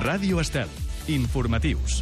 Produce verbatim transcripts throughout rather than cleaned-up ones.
Ràdio Estel. Informatius.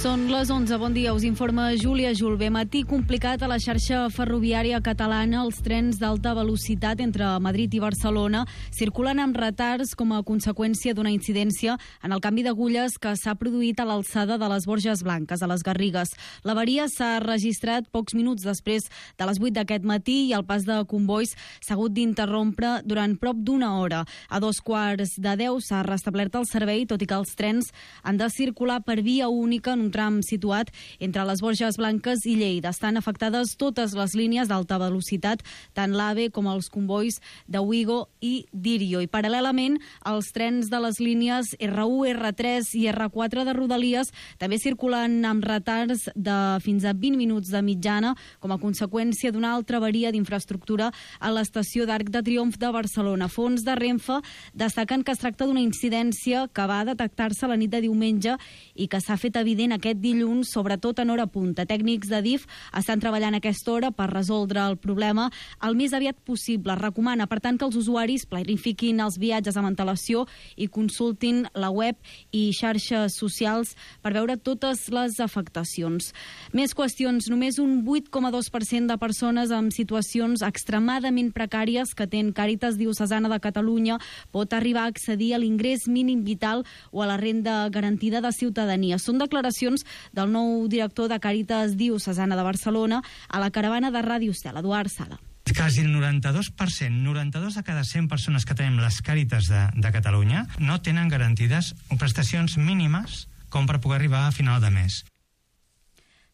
Són les onze. Bon dia, us informa Júlia Julve. Matí complicat a la xarxa ferroviària catalana. Els trens d'alta velocitat entre Madrid i Barcelona circulen amb retards com a conseqüència d'una incidència en el canvi d'agulles que s'ha produït a l'alçada de les Borges Blanques, a les Garrigues. L'avaria s'ha registrat pocs minuts després de les vuit d'aquest matí i el pas de convois s'ha hagut d'interrompre durant prop d'una hora. A dos quarts de deu s'ha restablert el servei, tot i que els trens han de circular per via única en un tram situat entre les Borges Blanques i Lleida. Estan afectades totes les línies d'alta velocitat, tant l'AVE com els convois de Wigo i Dirio. I paral·lelament, els trens de les línies erre u, erre tres i erre quatre de Rodalies també circulen amb retards de fins a vint minuts de mitjana com a conseqüència d'una altra avaria d'infraestructura a l'estació d'Arc de Triomf de Barcelona. Fons de Renfe destaquen que es tracta d'una incidència que va detectar-se la nit de diumenge i que s'ha fet evident aquest dilluns, sobretot en hora punta. Tècnics de D I F estan treballant a aquesta hora per resoldre el problema el més aviat possible. Recomana, per tant, que els usuaris planifiquin els viatges amb antelació i consultin la web i xarxes socials per veure totes les afectacions. Més qüestions. Només un vuit coma dos per cent de persones amb situacions extremadament precàries que atén Càritas Diocesana de Catalunya pot arribar a accedir a l'ingrés mínim vital o a la renda garantida de ciutadania. Són declaracions del nou director de Càritas Diocesana de Barcelona a la caravana de Ràdio Estel, Eduard Sala. Quasi el noranta-dos per cent, noranta-dos de cada cent persones que tenim les Càritas de, de Catalunya no tenen garantides prestacions mínimes com per poder arribar a final de mes.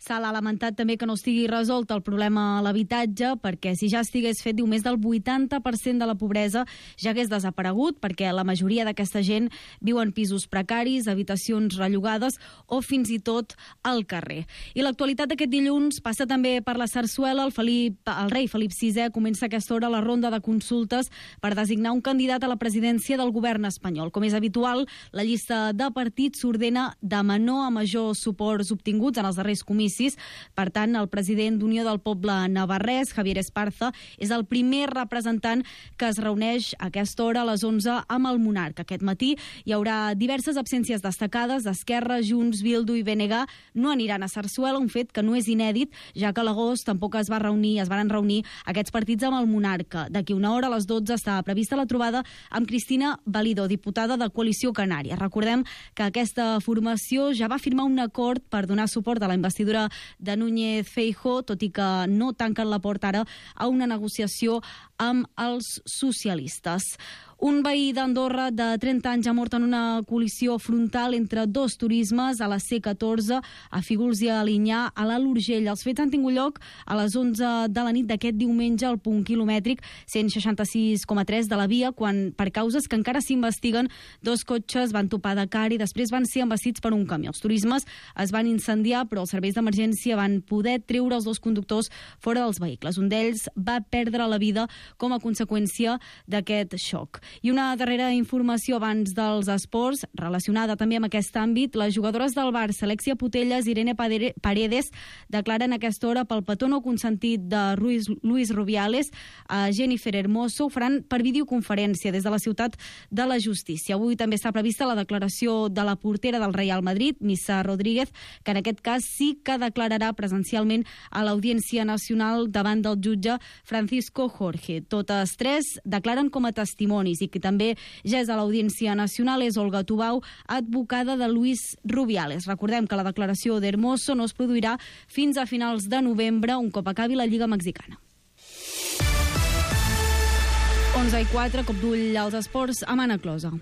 Sala ha lamentat també que no estigui resolt el problema a l'habitatge, perquè si ja estigués fet, diu, més del vuitanta per cent de la pobresa ja hagués desaparegut, perquè la majoria d'aquesta gent viu en pisos precaris, habitacions rellogades o fins i tot al carrer. I l'actualitat d'aquest dilluns passa també per la sarsuela. El, Felip, el rei Felip sisè comença a aquesta hora la ronda de consultes per designar un candidat a la presidència del govern espanyol. Com és habitual, la llista de partits s'ordena de menor a major suports obtinguts en els darrers comicis. Per tant, el president d'Unió del Poble navarrès, Javier Esparza, és el primer representant que es reuneix a aquesta hora a les onze amb el monarca. Aquest matí hi haurà diverses absències destacades. Esquerra, Junts, Bildu i B N G no aniran a Sarsuela, un fet que no és inèdit, ja que a l'agost tampoc es va reunir, es van reunir aquests partits amb el monarca. D'aquí una hora, a les dotze, està prevista la trobada amb Cristina Valido, diputada de Coalició Canària. Recordem que aquesta formació ja va firmar un acord per donar suport a la investidura de Núñez Feijóo, tot i que no tanquen la porta ara a una negociació amb els socialistes. Un veí d'Andorra de trenta anys ha mort en una col·lisió frontal entre dos turismes a la C catorze, a Fígols i a Alinyà, a l'Alt Urgell. Els fets han tingut lloc a les onze de la nit d'aquest diumenge al punt quilomètric cent seixanta-sis coma tres de la via, quan, per causes que encara s'investiguen, dos cotxes van topar de cara i després van ser embastits per un camió. Els turismes es van incendiar, però els serveis d'emergència van poder treure els dos conductors fora dels vehicles. Un d'ells va perdre la vida com a conseqüència d'aquest xoc. I una darrera informació abans dels esports, relacionada també amb aquest àmbit. Les jugadores del Barça, Alexia Putellas i Irene Paredes, declaren a aquesta hora pel petó no consentit de Ruiz, Luis Rubiales a Jennifer Hermoso. Ho faran per videoconferència des de la ciutat de la Justícia. Avui també està prevista la declaració de la portera del Real Madrid, Missa Rodríguez, que en aquest cas sí que declararà presencialment a l'Audiència Nacional davant del jutge Francisco Jorge. Totes tres declaren com a testimonis, i que també ja és a l'Audiència Nacional és Olga Tubau, advocada de Luis Rubiales. Recordem que la declaració d'Hermoso no es produirà fins a finals de novembre, un cop acabi la Lliga Mexicana. onze i quatre, cop d'ull als esports, amb Anna Closa.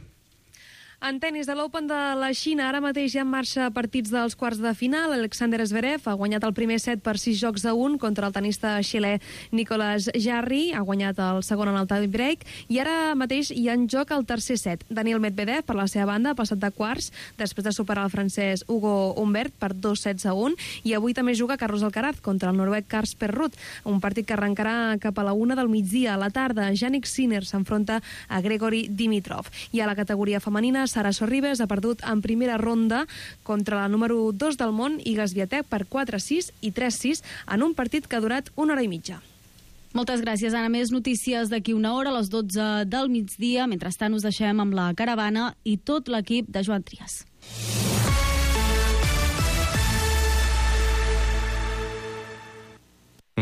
En tenis de l'Open de la Xina, ara mateix ja en marxa partits dels quarts de final. Alexander Zverev ha guanyat el primer set per sis jocs a un contra el tenista xilè Nicolas Jarry, ha guanyat el segon en el tie break, i ara mateix hi ha en joc el tercer set. Daniel Medvedev, per la seva banda, ha passat de quarts després de superar el francès Hugo Humbert per dos sets a un, i avui també juga Carlos Alcaraz contra el noruec Casper Ruud, un partit que arrencarà cap a la una del migdia. A la tarda, Jannik Sinner s'enfronta a Grigori Dimitrov. I a la categoria femenina, Sara Sorribes ha perdut en primera ronda contra la número dos del món, Iga Swiatek, per quatre sis i tres sis en un partit que ha durat una hora i mitja. Moltes gràcies, Anna. Més notícies d'aquí una hora, a les dotze del migdia. Mentrestant us deixem amb la caravana i tot l'equip de Joan Trias.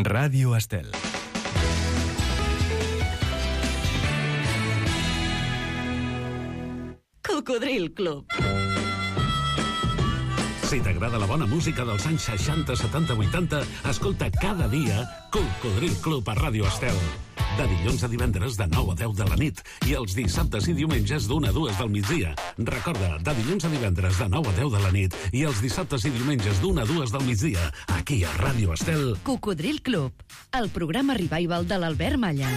Ràdio Estel. Cocodril Club. Si t'agrada la bona música dels anys seixanta, setanta, vuitanta, escolta cada dia Cocodril Club a Ràdio Estel. De dilluns a divendres de nou a deu de la nit i els dissabtes i diumenges d'una a dues del migdia. Recorda, de dilluns a divendres de nou a deu de la nit i els dissabtes i diumenges d'una a dues del migdia, aquí a Ràdio Estel. Cocodril Club, el programa revival de l'Albert Malla.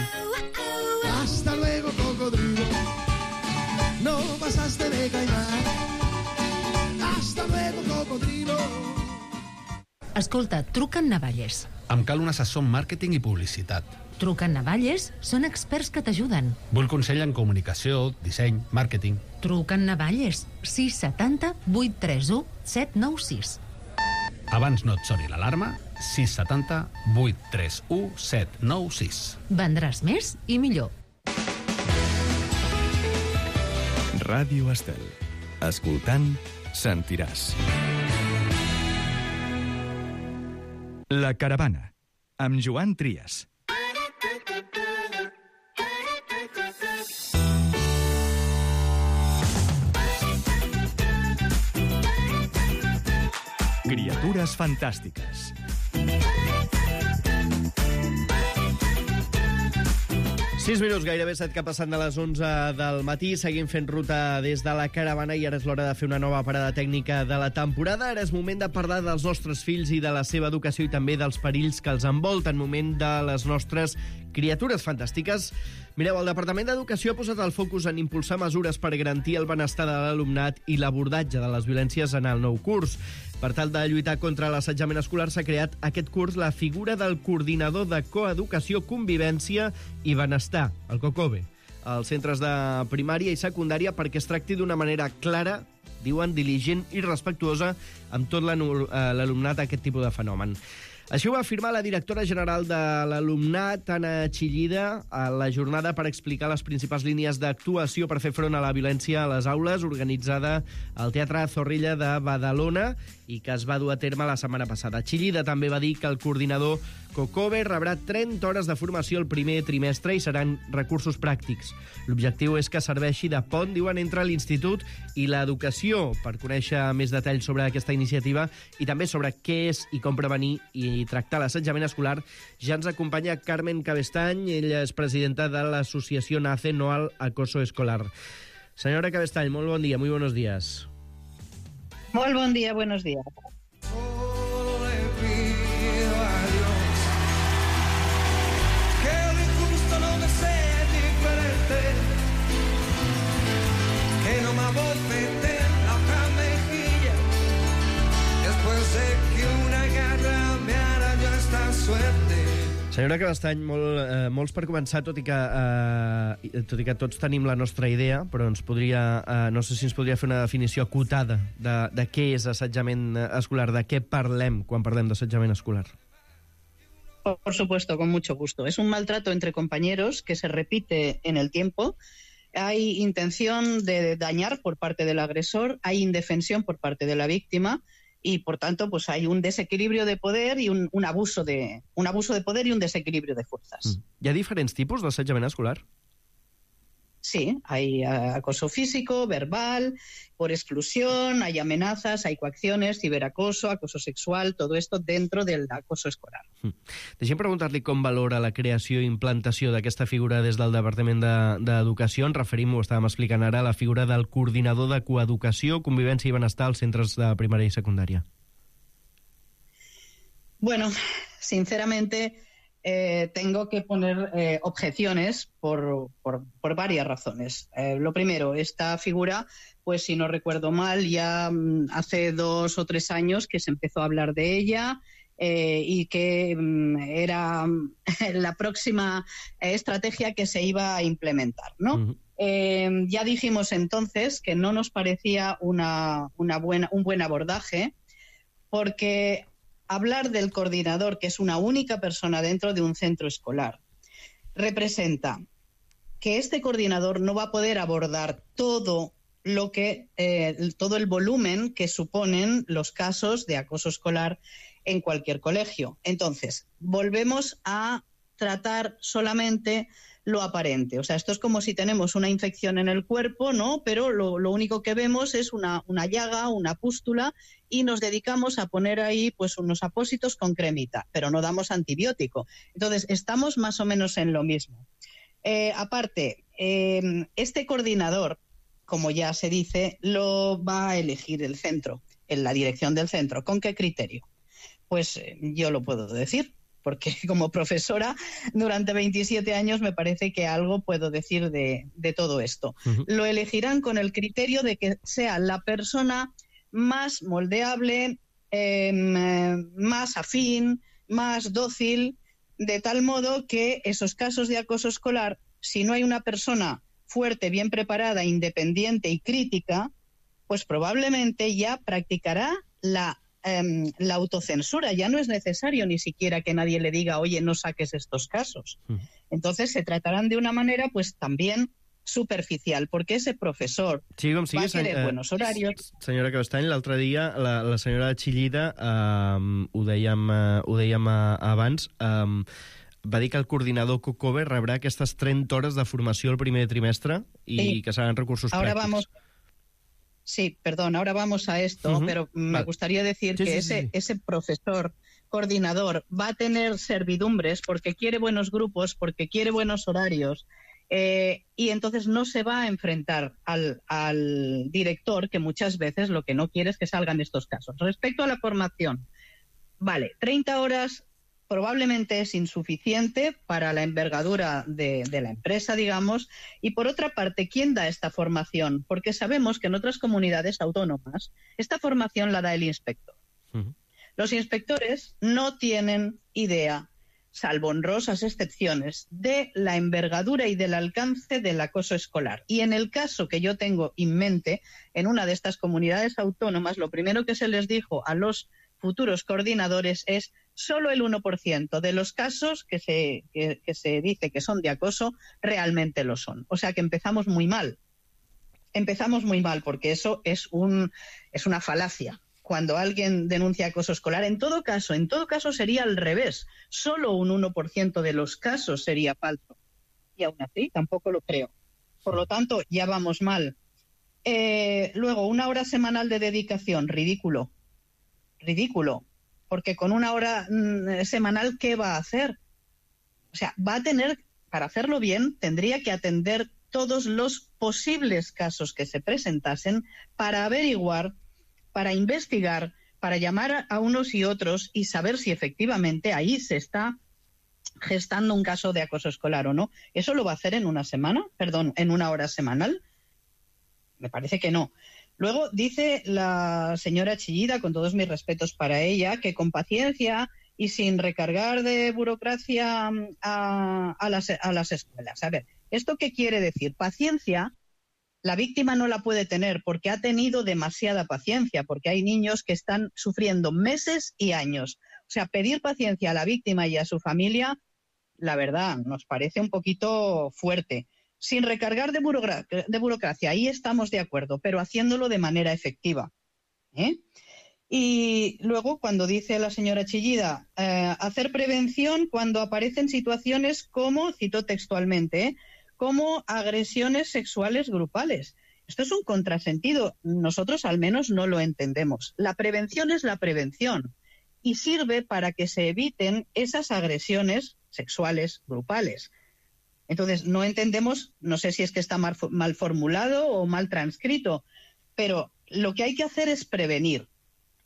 Hasta luego, cocodrilo. No pasaste de caimán. Hasta luego, cocodrilo. Escolta, truca en Navalles. Em cal un assessor en màrqueting i publicitat. Truca en Navalles, són experts que t'ajuden. Vull consell en comunicació, disseny, màrqueting. Truca en Navalles, sis set zero, vuit tres u, set nou sis. Abans no et soni l'alarma, sis set zero, vuit tres u, set nou sis. Vendràs més i millor. Ràdio Estel. Escoltant, sentiràs. La caravana, amb Joan Trias. Criatures fantàstiques. sis minuts, gairebé set que passen de les onze del matí. Seguim fent ruta des de la caravana i ara és l'hora de fer una nova parada tècnica de la temporada. Ara és moment de parlar dels nostres fills i de la seva educació i també dels perills que els envolten. Moment de les nostres criatures fantàstiques. Mireu, el Departament d'Educació ha posat el focus en impulsar mesures per garantir el benestar de l'alumnat i l'abordatge de les violències en el nou curs. Per tal de lluitar contra l'assetjament escolar s'ha creat aquest curs la figura del coordinador de coeducació, convivència i benestar, el COCOBE, als centres de primària i secundària perquè es tracti d'una manera clara, diuen, diligent i respectuosa amb tot l'alumnat aquest tipus de fenomen. Així ho va afirmar la directora general de l'alumnat, Anna Chillida, a la jornada per explicar les principals línies d'actuació per fer front a la violència a les aules, organitzada al Teatre Zorrilla de Badalona i que es va dur a terme la setmana passada. Chillida també va dir que el coordinador COCOBE rebrà trenta hores de formació el primer trimestre i seran recursos pràctics. L'objectiu és que serveixi de pont, diuen, entre l'institut i l'educació per conèixer més detalls sobre aquesta iniciativa i també sobre què és i com prevenir i tractar l'assetjament escolar. Ja ens acompanya Carmen Cabestany, ella és presidenta de l'associació NACE, No al Acoso Escolar. Senyora Cabestany, molt bon dia, muy buenos días. Molt bon dia, buenos días. Que no me abofete la otra mejilla después de que una garra me arañó esta suerte. Senyora Cabestany, molt, eh, molts per començar, tot i, que, eh, tot i que tots tenim la nostra idea, però ens podria, eh, no sé si ens podria fer una definició acotada de, de què és assetjament escolar, de què parlem quan parlem d'assetjament escolar. Por supuesto, con mucho gusto. Es un maltrato entre compañeros que se repite en el tiempo. Hay intención de dañar por parte del agresor, hay indefensión por parte de la víctima y, por tanto, pues hay un desequilibrio de poder y un, un, abuso de, un abuso de poder y un desequilibrio de fuerzas. Hi ha diferents tipus d'assetjament escolar? Sí, hay acoso físico, verbal, por exclusión, hay amenazas, hay coacciones, ciberacoso, acoso sexual, todo esto dentro del acoso escolar. Mm. Deixem preguntar-li com valora la creació i implantació d'aquesta figura des del Departament d'Educació. Ens referim, ho estàvem explicant ara, a la figura del coordinador de coeducació, convivència i benestar als centres de primària i secundària. Bueno, sinceramente... Eh, tengo que poner eh, objeciones por, por, por varias razones. Eh, lo primero, esta figura, pues si no recuerdo mal, ya mm, hace dos o tres años que se empezó a hablar de ella eh, y que mm, era mm, la próxima eh, estrategia que se iba a implementar, ¿no? Uh-huh. eh, ya dijimos entonces que no nos parecía una, una buena, un buen abordaje porque... hablar del coordinador, que es una única persona dentro de un centro escolar, representa que este coordinador no va a poder abordar todo lo que eh, todo el volumen que suponen los casos de acoso escolar en cualquier colegio. Entonces, volvemos a tratar solamente lo aparente. O sea, esto es como si tenemos una infección en el cuerpo, ¿no? Pero lo, lo único que vemos es una, una llaga, una pústula, y nos dedicamos a poner ahí pues unos apósitos con cremita, pero no damos antibiótico. Entonces, estamos más o menos en lo mismo. Eh, aparte, eh, este coordinador, como ya se dice, lo va a elegir el centro, en la dirección del centro. ¿Con qué criterio? Pues eh, yo lo puedo decir, porque como profesora durante veintisiete años me parece que algo puedo decir de, de todo esto. Uh-huh. Lo elegirán con el criterio de que sea la persona más moldeable, eh, más afín, más dócil, de tal modo que esos casos de acoso escolar, si no hay una persona fuerte, bien preparada, independiente y crítica, pues probablemente ya practicará la, eh, la autocensura. Ya no es necesario ni siquiera que nadie le diga, oye, no saques estos casos. Uh-huh. Entonces se tratarán de una manera pues también superficial, porque ese professor sí, com sigui, va querer eh, buenos horarios. Senyora Cabestany, l'altre dia la, la senyora Chillida, eh, ho dèiem, eh, ho dèiem eh, abans, eh, va dir que el coordinador Cocover rebrà aquestes trenta hores de formació el primer trimestre i sí. que seran recursos ahora pràctics. Vamos... Sí, perdón, ahora vamos a esto, uh-huh. pero me vale. gustaría decir sí, que sí, ese, sí. ese profesor coordinador va a tener servidumbres porque quiere buenos grupos, porque quiere buenos horarios, eh, y entonces no se va a enfrentar al, al director, que muchas veces lo que no quiere es que salgan estos casos. Respecto a la formación, vale, treinta horas probablemente es insuficiente para la envergadura de, de la empresa, digamos, y por otra parte, ¿quién da esta formación? Porque sabemos que en otras comunidades autónomas esta formación la da el inspector. Uh-huh. Los inspectores no tienen idea, salvo honrosas excepciones, de la envergadura y del alcance del acoso escolar. Y en el caso que yo tengo en mente, en una de estas comunidades autónomas, lo primero que se les dijo a los futuros coordinadores es solo el uno por ciento de los casos que se, que, que se dice que son de acoso realmente lo son. O sea que empezamos muy mal. Empezamos muy mal porque eso es, un, es una falacia. Cuando alguien denuncia acoso escolar, en todo caso, en todo caso sería al revés. Solo un uno por ciento de los casos sería falso. Y aún así tampoco lo creo. Por lo tanto, ya vamos mal. Eh, luego, una hora semanal de dedicación, ridículo. Ridículo. Porque con una hora mmm, semanal, ¿qué va a hacer? O sea, va a tener, para hacerlo bien, tendría que atender todos los posibles casos que se presentasen para averiguar, para investigar, para llamar a unos y otros y saber si efectivamente ahí se está gestando un caso de acoso escolar o no. ¿Eso lo va a hacer en una semana? Perdón, ¿en una hora semanal? Me parece que no. Luego dice la señora Chillida, con todos mis respetos para ella, que con paciencia y sin recargar de burocracia a, a, las, a las escuelas. A ver, ¿esto qué quiere decir? Paciencia, la víctima no la puede tener porque ha tenido demasiada paciencia, porque hay niños que están sufriendo meses y años. O sea, pedir paciencia a la víctima y a su familia, la verdad, nos parece un poquito fuerte. Sin recargar de, burocra- de burocracia, ahí estamos de acuerdo, pero haciéndolo de manera efectiva. ¿eh? Y luego, cuando dice la señora Chillida, eh, hacer prevención cuando aparecen situaciones como, cito textualmente, ¿eh? como agresiones sexuales grupales. Esto es un contrasentido. Nosotros al menos no lo entendemos. La prevención es la prevención y sirve para que se eviten esas agresiones sexuales grupales. Entonces, no entendemos, no sé si es que está mal, mal formulado o mal transcrito, pero lo que hay que hacer es prevenir,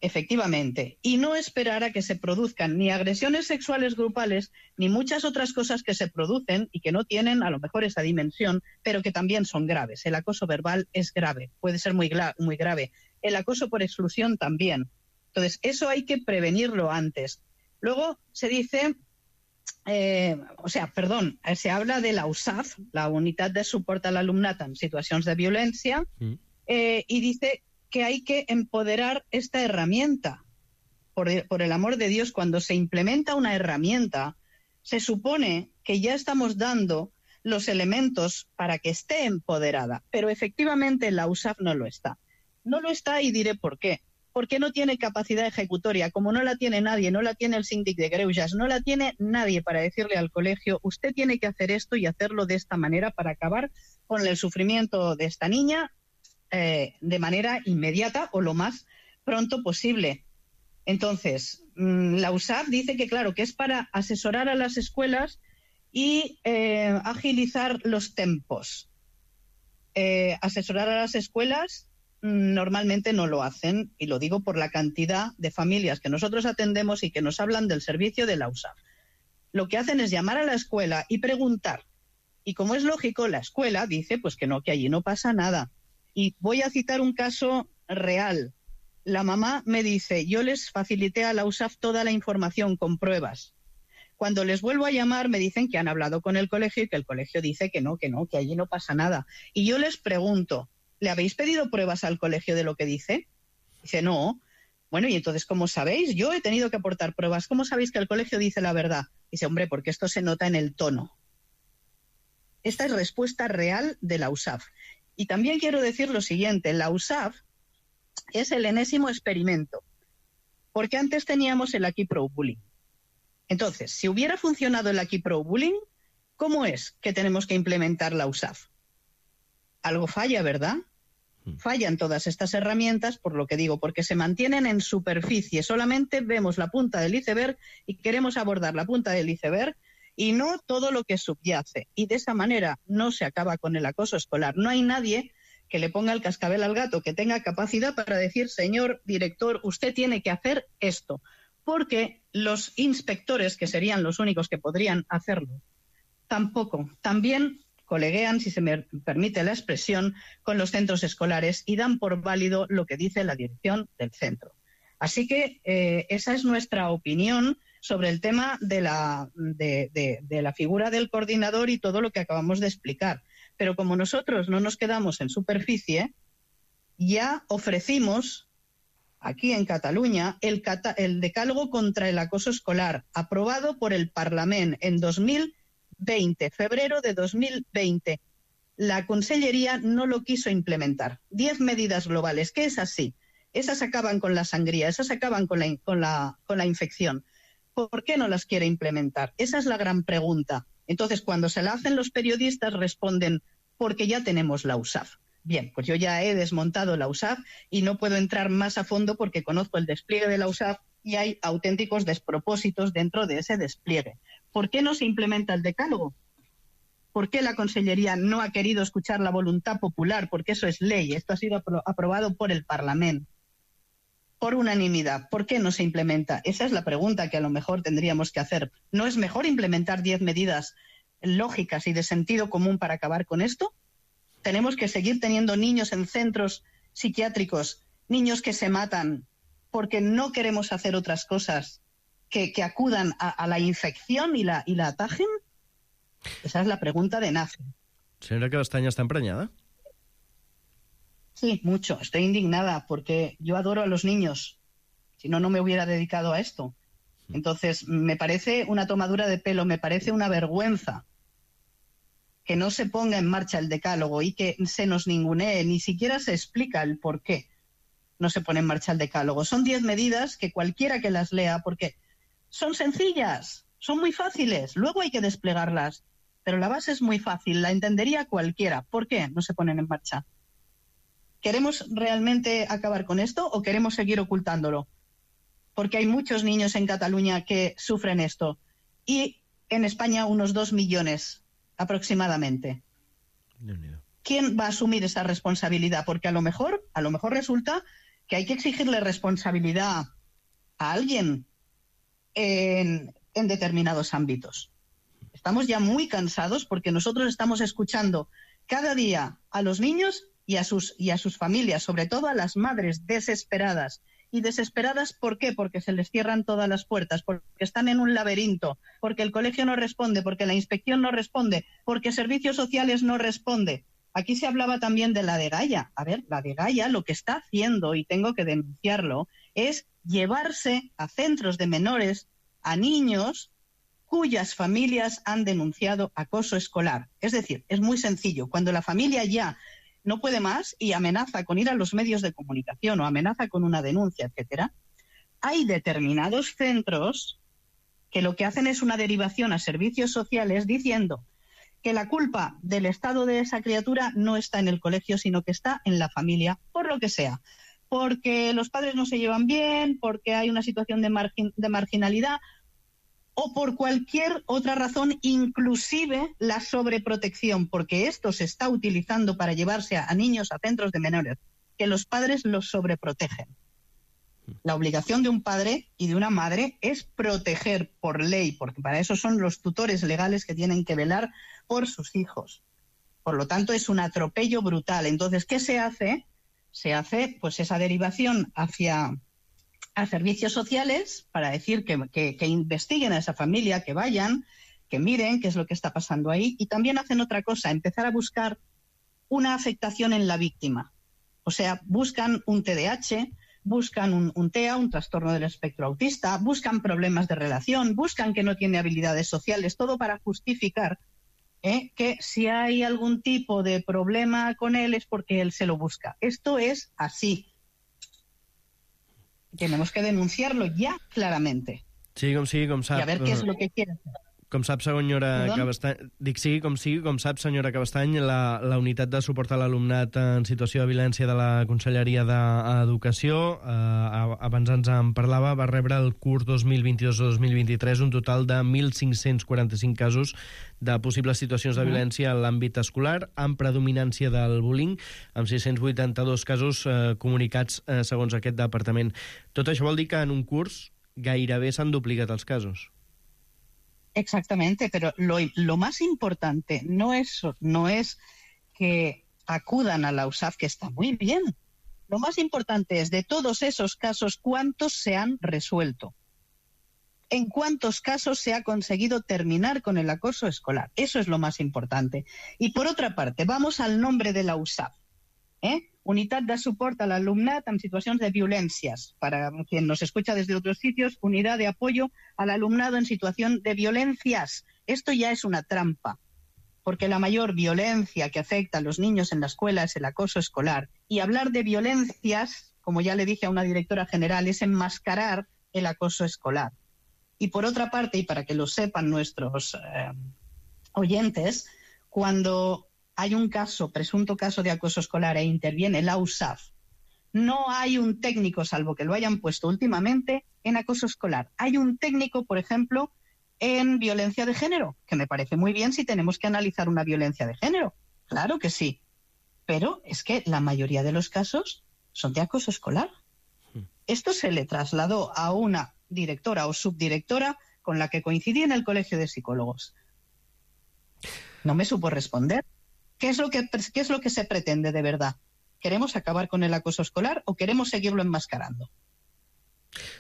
efectivamente, y no esperar a que se produzcan ni agresiones sexuales grupales, ni muchas otras cosas que se producen y que no tienen a lo mejor esa dimensión, pero que también son graves. El acoso verbal es grave, puede ser muy, gra- muy grave. El acoso por exclusión también. Entonces, eso hay que prevenirlo antes. Luego se dice... Eh, o sea, perdón, se habla de la U S A F, la Unitat de Suport a l'Alumnat en Situacions de Violencia, mm. eh, y dice que hay que empoderar esta herramienta. Por, por el amor de Dios, cuando se implementa una herramienta, se supone que ya estamos dando los elementos para que esté empoderada, pero efectivamente la U S A F no lo está. No lo está y diré por qué. Porque no tiene capacidad ejecutoria, como no la tiene nadie, no la tiene el síndic de Greuges, no la tiene nadie para decirle al colegio, usted tiene que hacer esto y hacerlo de esta manera para acabar con el sufrimiento de esta niña eh, de manera inmediata o lo más pronto posible. Entonces, mmm, la U S A F dice que, claro, que es para asesorar a las escuelas y eh, agilizar los tempos. Eh, asesorar a las escuelas normalmente no lo hacen, y lo digo por la cantidad de familias que nosotros atendemos y que nos hablan del servicio de la U S A F. Lo que hacen es llamar a la escuela y preguntar. Y como es lógico, la escuela dice pues que no, que allí no pasa nada. Y voy a citar un caso real. La mamá me dice, yo les facilité a la U S A F toda la información con pruebas. Cuando les vuelvo a llamar me dicen que han hablado con el colegio y que el colegio dice que no, que no, que allí no pasa nada. Y yo les pregunto, ¿le habéis pedido pruebas al colegio de lo que dice? Dice, no. Bueno, y entonces, ¿cómo sabéis? Yo he tenido que aportar pruebas. ¿Cómo sabéis que el colegio dice la verdad? Dice, hombre, porque esto se nota en el tono. Esta es respuesta real de la U S A F. Y también quiero decir lo siguiente, la U S A F es el enésimo experimento, porque antes teníamos el Aquí Pro Bullying. Entonces, si hubiera funcionado el Aquí Pro Bullying, ¿cómo es que tenemos que implementar la U S A F? Algo falla, ¿verdad? Fallan todas estas herramientas, por lo que digo, porque se mantienen en superficie. Solamente vemos la punta del iceberg y queremos abordar la punta del iceberg y no todo lo que subyace. Y de esa manera no se acaba con el acoso escolar. No hay nadie que le ponga el cascabel al gato, que tenga capacidad para decir, señor director, usted tiene que hacer esto. Porque los inspectores, que serían los únicos que podrían hacerlo, tampoco. También coleguean, si se me permite la expresión, con los centros escolares y dan por válido lo que dice la dirección del centro. Así que eh, esa es nuestra opinión sobre el tema de la, de, de, de la figura del coordinador y todo lo que acabamos de explicar. Pero como nosotros no nos quedamos en superficie, ya ofrecimos aquí en Cataluña el, cata el decálogo contra el acoso escolar, aprobado por el Parlament en dos mil veinte, febrero de dos mil veinte. La Consellería no lo quiso implementar. Diez medidas globales, que es así. Esas acaban con la sangría, esas acaban con la, con la, con la infección. ¿Por qué no las quiere implementar? Esa es la gran pregunta. Entonces, cuando se la hacen los periodistas, responden, porque ya tenemos la U S A F. Bien, pues yo ya he desmontado la U S A F y no puedo entrar más a fondo porque conozco el despliegue de la U S A F y hay auténticos despropósitos dentro de ese despliegue. ¿Por qué no se implementa el decálogo? ¿Por qué la Consellería no ha querido escuchar la voluntad popular? Porque eso es ley, esto ha sido apro- aprobado por el Parlamento por unanimidad. ¿Por qué no se implementa? Esa es la pregunta que a lo mejor tendríamos que hacer. ¿No es mejor implementar diez medidas lógicas y de sentido común para acabar con esto? Tenemos que seguir teniendo niños en centros psiquiátricos, niños que se matan porque no queremos hacer otras cosas que, que acudan a, a la infección y la, y la atajen. Esa es la pregunta de N A F E. Señora Castaña, ¿está empreñada? Sí, mucho. Estoy indignada porque yo adoro a los niños. Si no, no me hubiera dedicado a esto. Entonces, me parece una tomadura de pelo, me parece una vergüenza que no se ponga en marcha el decálogo y que se nos ningunee, ni siquiera se explica el por qué no se pone en marcha el decálogo. Son diez medidas que cualquiera que las lea, porque son sencillas, son muy fáciles, luego hay que desplegarlas, pero la base es muy fácil, la entendería cualquiera. ¿Por qué no se ponen en marcha? ¿Queremos realmente acabar con esto o queremos seguir ocultándolo? Porque hay muchos niños en Cataluña que sufren esto y en España unos dos millones aproximadamente. ¿Quién va a asumir esa responsabilidad? Porque a lo mejor, a lo mejor resulta que hay que exigirle responsabilidad a alguien en, en determinados ámbitos. Estamos ya muy cansados porque nosotros estamos escuchando cada día a los niños y a sus, y a sus familias, sobre todo a las madres desesperadas. ¿Y desesperadas por qué? Porque se les cierran todas las puertas, porque están en un laberinto, porque el colegio no responde, porque la inspección no responde, porque servicios sociales no responde. Aquí se hablaba también de la Dgaia. A ver, la Dgaia lo que está haciendo, y tengo que denunciarlo, es llevarse a centros de menores, a niños cuyas familias han denunciado acoso escolar. Es decir, es muy sencillo. Cuando la familia ya no puede más y amenaza con ir a los medios de comunicación o amenaza con una denuncia, etcétera, hay determinados centros que lo que hacen es una derivación a servicios sociales diciendo que la culpa del estado de esa criatura no está en el colegio, sino que está en la familia, por lo que sea. Porque los padres no se llevan bien, porque hay una situación de, margin- de marginalidad o por cualquier otra razón, inclusive la sobreprotección, porque esto se está utilizando para llevarse a, a niños a centros de menores, que los padres los sobreprotegen. La obligación de un padre y de una madre es proteger por ley, porque para eso son los tutores legales que tienen que velar por sus hijos. Por lo tanto, es un atropello brutal. Entonces, ¿qué se hace? Se hace pues esa derivación hacia a servicios sociales para decir que, que, que investiguen a esa familia, que vayan, que miren qué es lo que está pasando ahí. Y también hacen otra cosa, empezar a buscar una afectación en la víctima. O sea, buscan un T D A H, buscan un, un T E A, un trastorno del espectro autista, buscan problemas de relación, buscan que no tiene habilidades sociales, todo para justificar ¿eh? que si hay algún tipo de problema con él es porque él se lo busca. Esto es así. Tenemos que denunciarlo ya claramente. Sí, com sigui, com sap... Y a ver qué es lo que quiere hacer. Com sap, senyora Perdó? Cabestany... Dic, sigui com sigui, com sap, senyora Cabestany, la, la unitat de suport a l'alumnat en situació de violència de la Conselleria d'Educació, eh, abans ens en parlava, va rebre el curs dos mil vint-i-dos dos mil vint-i-tres un total de mil cinc-cents quaranta-cinc casos de possibles situacions de violència en l'àmbit escolar, amb predominància del bullying, amb sis-cents vuitanta-dos casos eh, comunicats eh, segons aquest departament. Tot això vol dir que en un curs gairebé s'han duplicat els casos. Exactamente, pero lo, lo más importante no es, no es que acudan a la U S A F, que está muy bien. Lo más importante es, de todos esos casos, ¿cuántos se han resuelto? ¿En cuántos casos se ha conseguido terminar con el acoso escolar? Eso es lo más importante. Y por otra parte, vamos al nombre de la U S A F. ¿eh? Unitat de suport a l'alumnat en situacions de violències. Para quien nos escucha desde otros sitios, unidad de apoyo al alumnado en situación de violencias. Esto ya es una trampa, porque la mayor violencia que afecta a los niños en la escuela es el acoso escolar. Y hablar de violencias, como ya le dije a una directora general, es enmascarar el acoso escolar. Y por otra parte, y para que lo sepan nuestros eh, oyentes, cuando hay un caso, presunto caso de acoso escolar e interviene la U S A F, no hay un técnico, salvo que lo hayan puesto últimamente, en acoso escolar. Hay un técnico, por ejemplo, en violencia de género, que me parece muy bien si tenemos que analizar una violencia de género. Claro que sí. Pero es que la mayoría de los casos son de acoso escolar. Esto se le trasladó a una directora o subdirectora con la que coincidí en el Colegio de Psicólogos. No me supo responder. ¿Qué es lo que, qué es lo que se pretende de verdad? ¿Queremos acabar con el acoso escolar o queremos seguirlo enmascarando?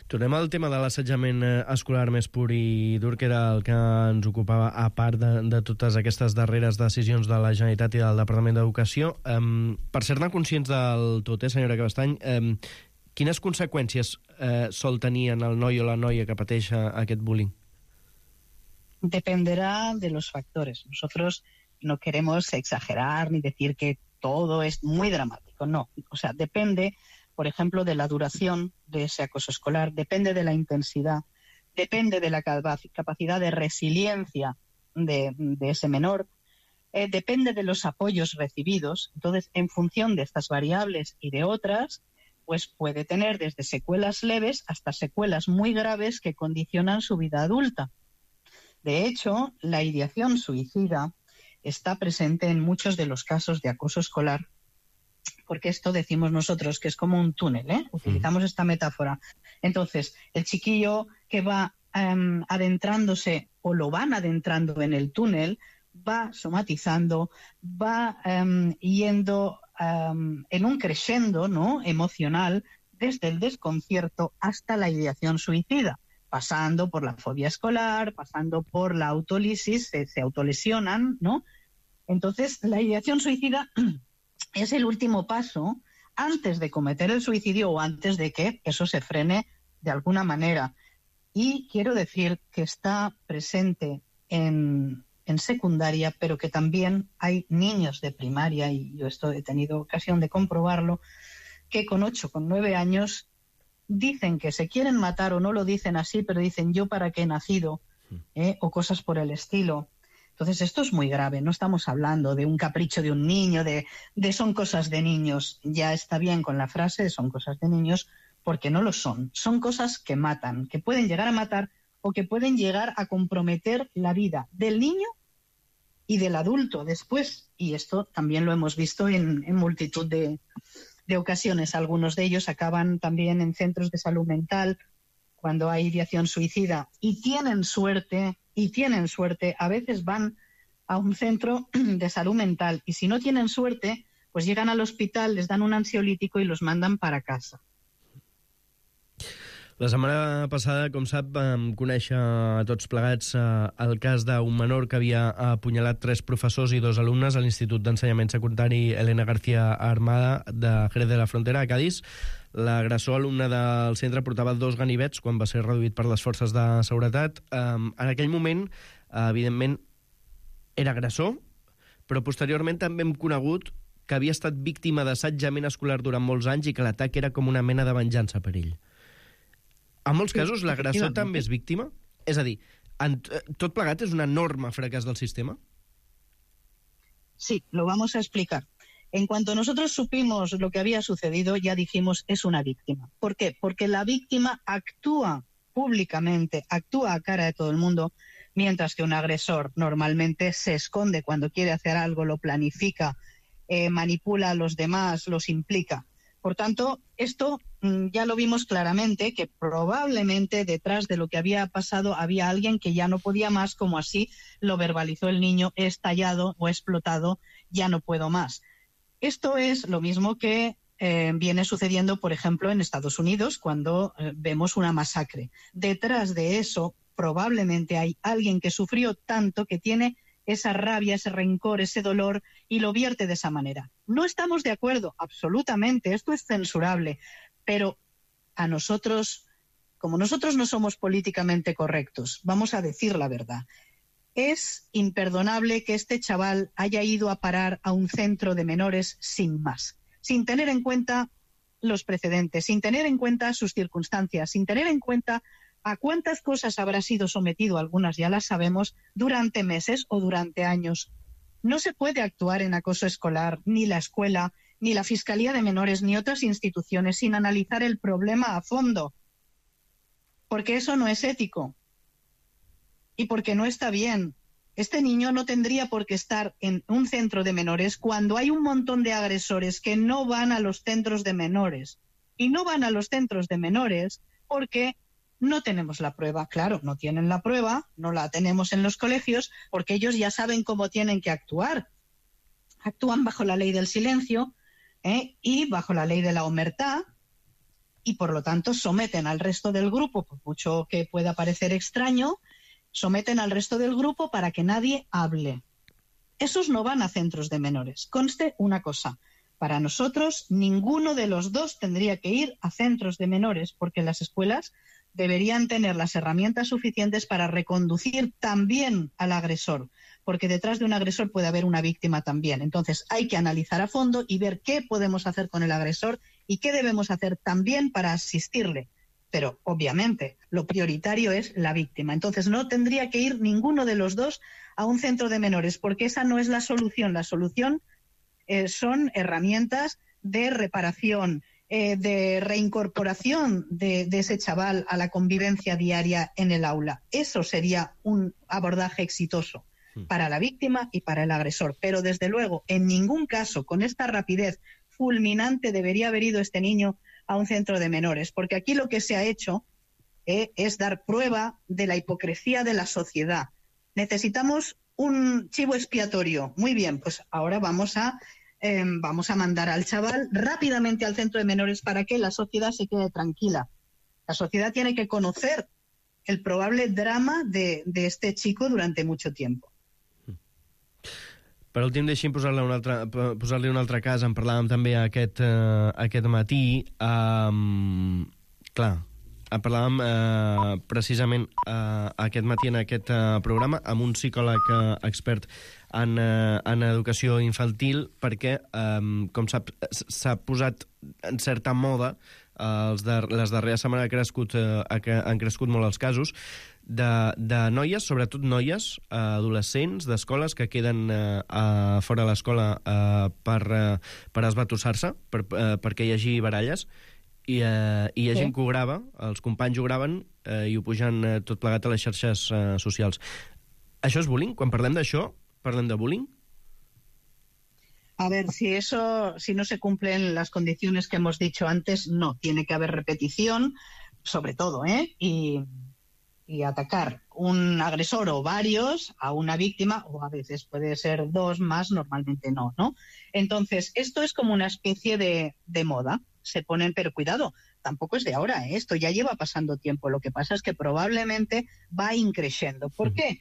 Tornem al tema de l'assetjament escolar més pur i dur, que era el que ens ocupava, a part de, de totes aquestes darreres decisions de la Generalitat i del Departament d'Educació. Um, per ser-ne conscients del tot, eh, senyora Cabestany, um, quines conseqüències eh, sol tenir en el noi o la noia que pateix aquest bullying? Dependerá de los factores. Nosotros no queremos exagerar ni decir que todo es muy dramático, no. O sea, depende, por ejemplo, de la duración de ese acoso escolar, depende de la intensidad, depende de la capacidad de resiliencia de, de ese menor, eh, depende de los apoyos recibidos. Entonces, en función de estas variables y de otras, pues puede tener desde secuelas leves hasta secuelas muy graves que condicionan su vida adulta. De hecho, la ideación suicida está presente en muchos de los casos de acoso escolar, porque esto decimos nosotros que es como un túnel, ¿eh? Utilizamos esta metáfora. Entonces, el chiquillo que va um, adentrándose o lo van adentrando en el túnel, va somatizando, va um, yendo um, en un crescendo, ¿no?, emocional, desde el desconcierto hasta la ideación suicida, pasando por la fobia escolar, pasando por la autolisis, se, se autolesionan, ¿no? Entonces, la ideación suicida es el último paso antes de cometer el suicidio o antes de que eso se frene de alguna manera. Y quiero decir que está presente en, en secundaria, pero que también hay niños de primaria, y yo esto he tenido ocasión de comprobarlo, que con ocho, con nueve años dicen que se quieren matar, o no lo dicen así, pero dicen yo para qué he nacido, ¿eh? O cosas por el estilo. Entonces esto es muy grave, no estamos hablando de un capricho de un niño, de, de son cosas de niños. Ya está bien con la frase de son cosas de niños, porque no lo son. Son cosas que matan, que pueden llegar a matar o que pueden llegar a comprometer la vida del niño y del adulto después. Y esto también lo hemos visto en, en multitud de, de ocasiones. Algunos de ellos acaban también en centros de salud mental cuando hay ideación suicida. Y tienen suerte, y tienen suerte, a veces van a un centro de salud mental y si no tienen suerte, pues llegan al hospital, les dan un ansiolítico i los mandan para casa. La setmana passada, com sap, vam conèixer a tots plegats eh, el cas d'un menor que havia apunyalat tres professors i dos alumnes a l'Institut d'Ensenyament Secundari Elena García Armada de Jerez de la Frontera, a Cádiz. L'agressor alumne del centre portava dos ganivets quan va ser reduït per les forces de seguretat. Eh, en aquell moment, eh, evidentment, era agressor, però posteriorment també hem conegut que havia estat víctima d'assetjament escolar durant molts anys i que l'atac era com una mena de venjança per ell. En molts casos, l'agressor també és víctima? És a dir, en, tot plegat és un enorme fracàs del sistema? Sí, lo vamos a explicar. En cuanto nosotros supimos lo que había sucedido, ya dijimos, es una víctima. ¿Por qué? Porque la víctima actúa públicamente, actúa a cara de todo el mundo, mientras que un agresor normalmente se esconde cuando quiere hacer algo, lo planifica, eh, manipula a los demás, los implica. Por tanto, esto mmm, ya lo vimos claramente, que probablemente detrás de lo que había pasado había alguien que ya no podía más, como así lo verbalizó el niño, he estallado o he explotado, ya no puedo más. Esto es lo mismo que eh, viene sucediendo, por ejemplo, en Estados Unidos, cuando eh, vemos una masacre. Detrás de eso, probablemente hay alguien que sufrió tanto que tiene esa rabia, ese rencor, ese dolor, y lo vierte de esa manera. No estamos de acuerdo, absolutamente, esto es censurable, pero a nosotros, como nosotros no somos políticamente correctos, vamos a decir la verdad. Es imperdonable que este chaval haya ido a parar a un centro de menores sin más, sin tener en cuenta los precedentes, sin tener en cuenta sus circunstancias, sin tener en cuenta a cuántas cosas habrá sido sometido, algunas ya las sabemos, durante meses o durante años. No se puede actuar en acoso escolar, ni la escuela, ni la Fiscalía de Menores, ni otras instituciones sin analizar el problema a fondo, porque eso no es ético y porque no está bien. Este niño no tendría por qué estar en un centro de menores cuando hay un montón de agresores que no van a los centros de menores. Y no van a los centros de menores porque no tenemos la prueba. Claro, no tienen la prueba, no la tenemos en los colegios, porque ellos ya saben cómo tienen que actuar. Actúan bajo la ley del silencio ¿eh? y bajo la ley de la omertá, y por lo tanto someten al resto del grupo, por mucho que pueda parecer extraño, someten al resto del grupo para que nadie hable. Esos no van a centros de menores. Conste una cosa, para nosotros ninguno de los dos tendría que ir a centros de menores, porque las escuelas deberían tener las herramientas suficientes para reconducir también al agresor, porque detrás de un agresor puede haber una víctima también. Entonces hay que analizar a fondo y ver qué podemos hacer con el agresor y qué debemos hacer también para asistirle. Pero obviamente lo prioritario es la víctima. Entonces no tendría que ir ninguno de los dos a un centro de menores, porque esa no es la solución. La solución eh, son herramientas de reparación, Eh, de reincorporación de, de ese chaval a la convivencia diaria en el aula. Eso sería un abordaje exitoso para la víctima y para el agresor. Pero desde luego, en ningún caso, con esta rapidez fulminante, debería haber ido este niño a un centro de menores, porque aquí lo que se ha hecho eh, es dar prueba de la hipocresía de la sociedad. Necesitamos un chivo expiatorio. Muy bien, pues ahora vamos a Eh, vamos a mandar al chaval rápidamente al centro de menores para que la sociedad se quede tranquila. La sociedad tiene que conocer el probable drama de, de este chico durante mucho tiempo. Per últim, deixi'm posar-li un, altre, posar-li un altre cas. En parlàvem també aquest, uh, aquest matí. Um, clar, parlàvem eh, precisament eh, aquest matí en aquest eh, programa amb un psicòleg eh, expert en, eh, en educació infantil, perquè, eh, com sap, s'ha posat en certa moda, eh, els de, les darreres setmanes ha crescut, eh, han crescut molt els casos, de, de noies, sobretot noies, eh, adolescents d'escoles que queden eh, a, fora de l'escola eh, per, eh, per esbatussar-se, per, eh, perquè hi hagi baralles, i, eh, i hi ha sí. gent que ho grava, els companys ho graven eh, i ho pugen eh, tot plegat a les xarxes eh, socials. Això és bullying? Quan parlem d'això, parlem de bullying? A ver, si eso, si no se cumplen las condiciones que hemos dicho antes, no, tiene que haber repetición, sobre todo, ¿eh? Y... y atacar un agresor o varios a una víctima, o a veces puede ser dos más, normalmente no, ¿no? Entonces, esto es como una especie de, de moda, se ponen, pero cuidado, tampoco es de ahora, ¿eh? Esto ya lleva pasando tiempo, lo que pasa es que probablemente va increciendo. ¿Por qué?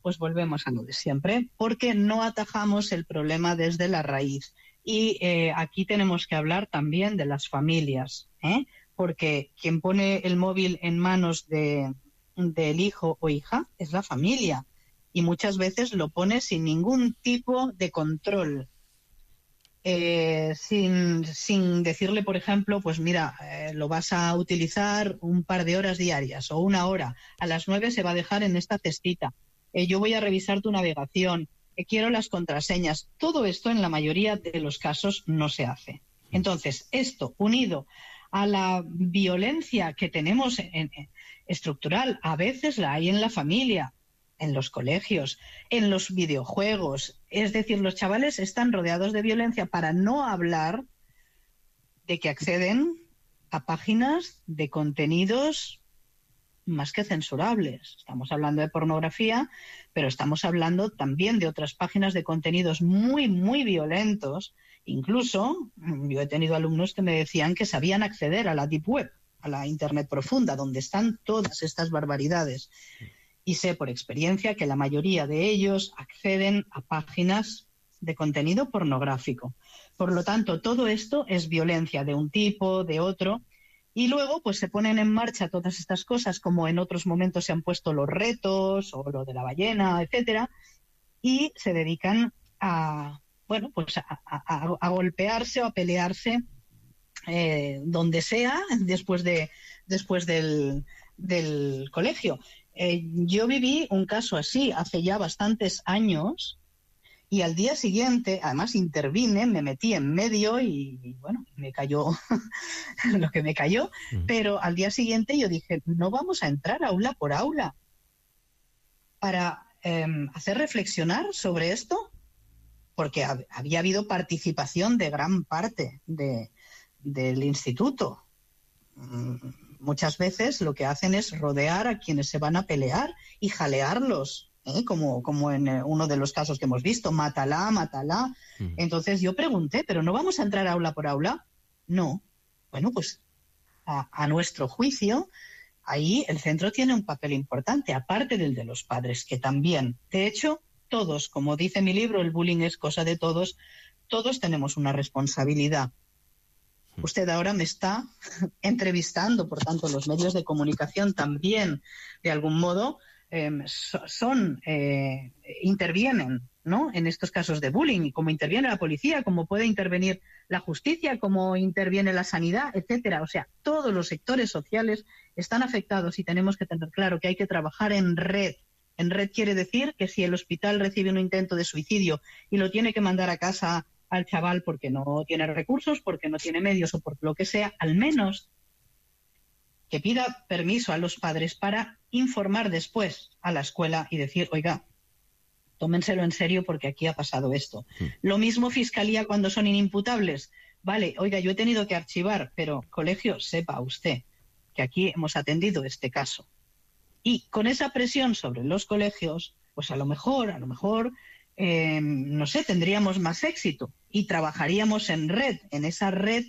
Pues volvemos a lo de siempre, porque no atajamos el problema desde la raíz. Y eh, aquí tenemos que hablar también de las familias, ¿eh? Porque quien pone el móvil en manos de... del hijo o hija es la familia, y muchas veces lo pone sin ningún tipo de control, eh, sin, sin decirle, por ejemplo, pues mira, eh, lo vas a utilizar un par de horas diarias o una hora, a las nueve se va a dejar en esta cestita, eh, yo voy a revisar tu navegación, eh, quiero las contraseñas. Todo esto en la mayoría de los casos no se hace. Entonces, esto unido a la violencia que tenemos en, en, estructural, a veces la hay en la familia, en los colegios, en los videojuegos. Es decir, los chavales están rodeados de violencia, para no hablar de que acceden a páginas de contenidos más que censurables. Estamos hablando de pornografía, pero estamos hablando también de otras páginas de contenidos muy, muy violentos. Incluso, yo he tenido alumnos que me decían que sabían acceder a la Deep Web, a la Internet profunda, donde están todas estas barbaridades. Y sé por experiencia que la mayoría de ellos acceden a páginas de contenido pornográfico. Por lo tanto, todo esto es violencia de un tipo, de otro, y luego pues se ponen en marcha todas estas cosas, como en otros momentos se han puesto los retos, o lo de la ballena, etcétera, y se dedican a, bueno, pues a, a, a golpearse o a pelearse eh, donde sea después de después del, del colegio. Eh, yo viví un caso así hace ya bastantes años, y al día siguiente, además intervine, me metí en medio y, y bueno, me cayó lo que me cayó, uh-huh. Pero al día siguiente yo dije, no vamos a entrar aula por aula para eh, hacer reflexionar sobre esto, porque hab- había habido participación de gran parte de, del instituto. Mm, muchas veces lo que hacen es rodear a quienes se van a pelear y jalearlos. ¿Eh? Como, como en uno de los casos que hemos visto, mátala, mátala. Mm. Entonces yo pregunté, ¿pero no vamos a entrar aula por aula? No. Bueno, pues a, a nuestro juicio, ahí el centro tiene un papel importante, aparte del de los padres, que también. De hecho, todos, como dice mi libro, el bullying es cosa de todos, todos tenemos una responsabilidad. Mm. Usted ahora me está entrevistando, por tanto, los medios de comunicación también, de algún modo, Eh, son eh, intervienen, ¿no?, en estos casos de bullying, y como interviene la policía, como puede intervenir la justicia, como interviene la sanidad, etcétera. O sea, todos los sectores sociales están afectados, y tenemos que tener claro que hay que trabajar en red. En red quiere decir que si el hospital recibe un intento de suicidio y lo tiene que mandar a casa al chaval porque no tiene recursos, porque no tiene medios o por lo que sea, al menos que pida permiso a los padres para informar después a la escuela y decir, oiga, tómenselo en serio porque aquí ha pasado esto. Sí. Lo mismo fiscalía cuando son inimputables. Vale, oiga, yo he tenido que archivar, pero colegio, sepa usted que aquí hemos atendido este caso. Y con esa presión sobre los colegios, pues a lo mejor, a lo mejor, eh, no sé, tendríamos más éxito y trabajaríamos en red, en esa red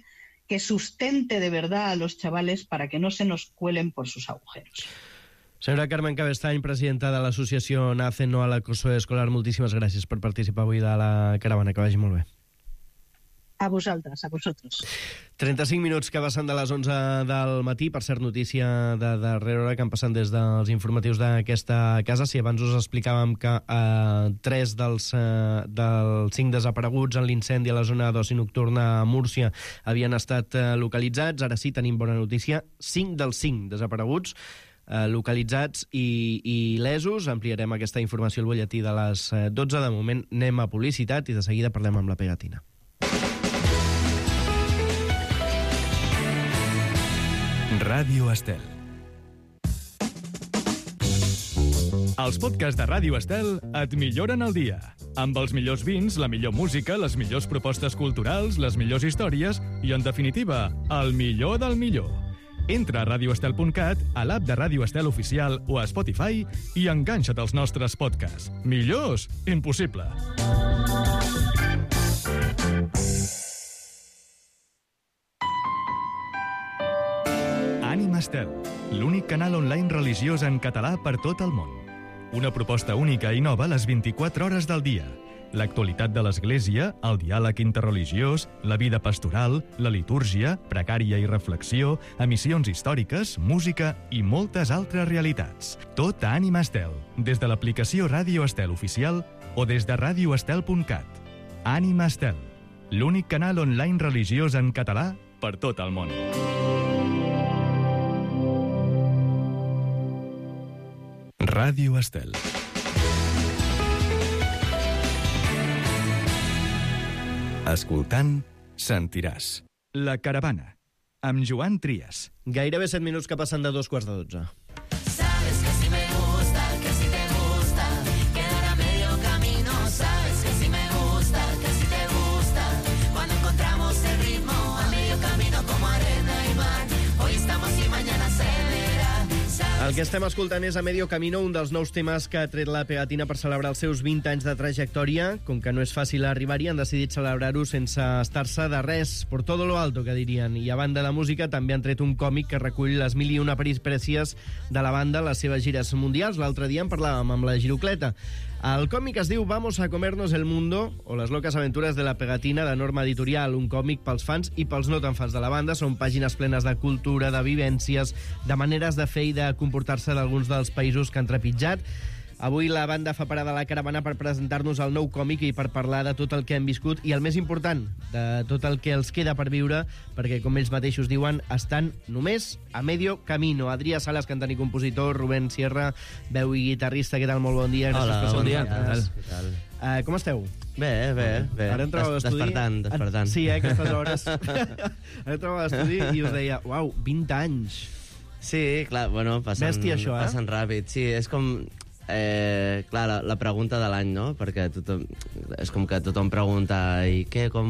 que sustente de verdad a los chavales para que no se nos cuelen por sus agujeros. Senyora Carmen Cabestany, presidenta de l'associació NACE No a l'acoso escolar, moltíssimes gràcies per participar avui de la caravana. Que vagi molt bé. A vosaltres, a vosotros. trenta-cinc minuts que passen de les onze del matí. Per cert, notícia de darrera hora que han passat des dels informatius d'aquesta casa. Si abans us explicàvem que eh, tres dels, eh, dels cinc desapareguts en l'incendi a la zona d'oci nocturna a Múrcia havien estat eh, localitzats, ara sí tenim bona notícia. Cinc dels cinc desapareguts eh, localitzats i, i lesos. Ampliarem aquesta informació al butlletí de les dotze. De moment anem a publicitat i de seguida parlem amb la Pegatina. Ràdio Estel. Els podcasts de Ràdio Estel et milloren el dia. Amb els millors vins, la millor música, les millors propostes culturals, les millors històries i, en definitiva, el millor del millor. Entra a radio estel punt cat, a l'app de Ràdio Estel oficial o a Spotify i enganxa't als nostres podcasts. Millors? Impossible. Ànima Estel, l'únic canal online religiós en català per tot el món. Una proposta única i nova les vint-i-quatre hores del dia. L'actualitat de l'Església, el diàleg interreligiós, la vida pastoral, la litúrgia, pregària i reflexió, emissions històriques, música i moltes altres realitats. Tot a Ànima Estel, des de l'aplicació Ràdio Estel oficial o des de radio estel punt cat. Ànima Estel, l'únic canal online religiós en català per tot el món. Ràdio Estel. Escoltant, sentiràs. La Caravana, amb Joan Trias. Gairebé set minuts que passen de dos quarts de dotze. Sabes que si me gusta, que si te gusta, quedar a medio camino. Sabes que si me gusta, que si te gusta, cuando encontramos el ritmo a medio camino como arena y mar. Hoy estamos y mañana se verá. El que estem escoltant és A Medio Camino, un dels nous temes que ha tret la Pegatina per celebrar els seus vint anys de trajectòria. Com que no és fàcil arribar-hi, han decidit celebrar-ho sense estar-se de res, por todo lo alto, que dirien. I a banda de música, també han tret un còmic que recull les mil i una peripècies de la banda, les seves gires mundials. L'altre dia en parlàvem amb la Girocleta. El còmic es diu Vamos a comernos el mundo, o les locas aventuras de la Pegatina, de Norma Editorial, un còmic pels fans i pels no tan fans de la banda. Són pàgines plenes de cultura, de vivències, de maneres de fer i de comportar-se d'alguns dels països que han trepitjat. Avui la banda fa parada a la Caravana per presentar-nos el nou còmic i per parlar de tot el que hem viscut i, el més important, de tot el que els queda per viure, perquè, com ells mateixos diuen, estan només a medio camino. Adrià Sales, cantant i compositor, Rubén Sierra, veu i guitarrista. Què tal? Molt bon dia. Hola, Gràcies per bon dia. Què tal? Uh, com esteu? Bé, bé, bé. Ara entrava a l'estudi... Despertant, despertant. Sí, eh, aquestes hores. Ara entrava a l'estudi i us deia, uau, vint anys. Sí, clar, bueno, passen, Bèstia, això, eh? passen ràpid. Sí, és com... Eh, clar, la, la pregunta de l'any, no? Perquè tothom, és com que tothom pregunta i què, com,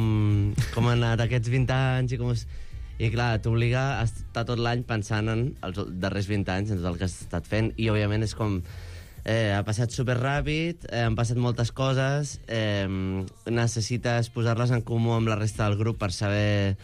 com han anat aquests vint anys i com és... I clar, t'obliga a estar tot l'any pensant en els darrers vint anys, en tot el que has estat fent, i òbviament és com... Eh, ha passat superràpid, eh, han passat moltes coses, eh, necessites posar-les en comú amb la resta del grup per saber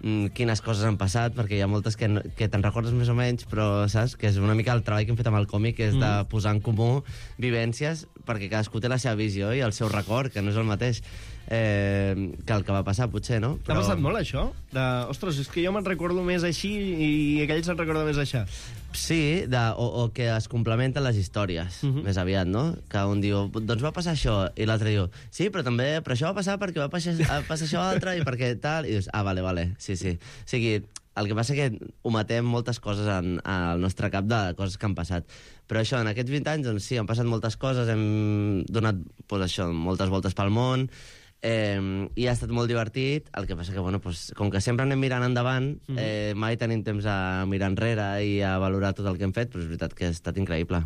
mm, quines coses han passat, perquè hi ha moltes que, no, que te'n recordes més o menys, però saps que és una mica el treball que hem fet amb el còmic, és mm. de posar en comú vivències, perquè cadascú té la seva visió i el seu record, que no és el mateix eh, que el que va passar, potser, no? T'ha passat molt, això? De, ostres, és que jo me'n recordo més així i aquell se'n recorda més això. Sí, de, o, o que es complementen les històries, uh-huh. més aviat, no? Que un diu, doncs va passar això, i l'altre diu, sí, però també, però això va passar perquè va passar, passar això altre, i perquè tal, i dius, ah, vale, vale, sí, sí. O sigui, el que passa que ho matem moltes coses en, al nostre cap de coses que han passat. Però això, en aquests vint anys, doncs sí, han passat moltes coses, hem donat, doncs això, moltes voltes pel món, Eh, i ha estat molt divertit. El que passa que, bueno, pues, com que sempre anem mirant endavant, mm. eh, mai tenim temps a mirar enrere i a valorar tot el que hem fet, però és veritat que ha estat increïble.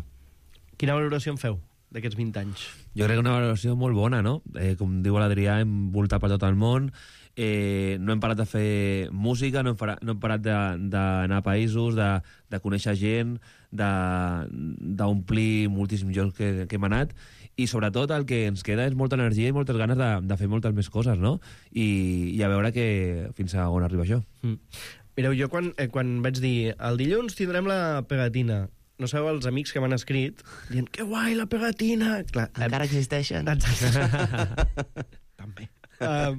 Quina valoració en feu d'aquests vint anys? Jo crec que una valoració molt bona, no? Eh, com diu l'Adrià, hem voltat per tot el món, eh, no hem parat de fer música, no hem, parat, no hem parat d'anar a països, de, de conèixer gent, d'omplir moltíssims llocs que, que hem anat, i sobretot el que ens queda és molta energia i moltes ganes de, de fer moltes més coses, no? I, i a veure que fins a on arriba això. Mm. Mireu, jo quan, eh, quan vaig dir el dilluns tindrem la Pegatina, no sabeu els amics que m'han escrit dient, que guai, la Pegatina! Clar, encara existeixen? També. Uh,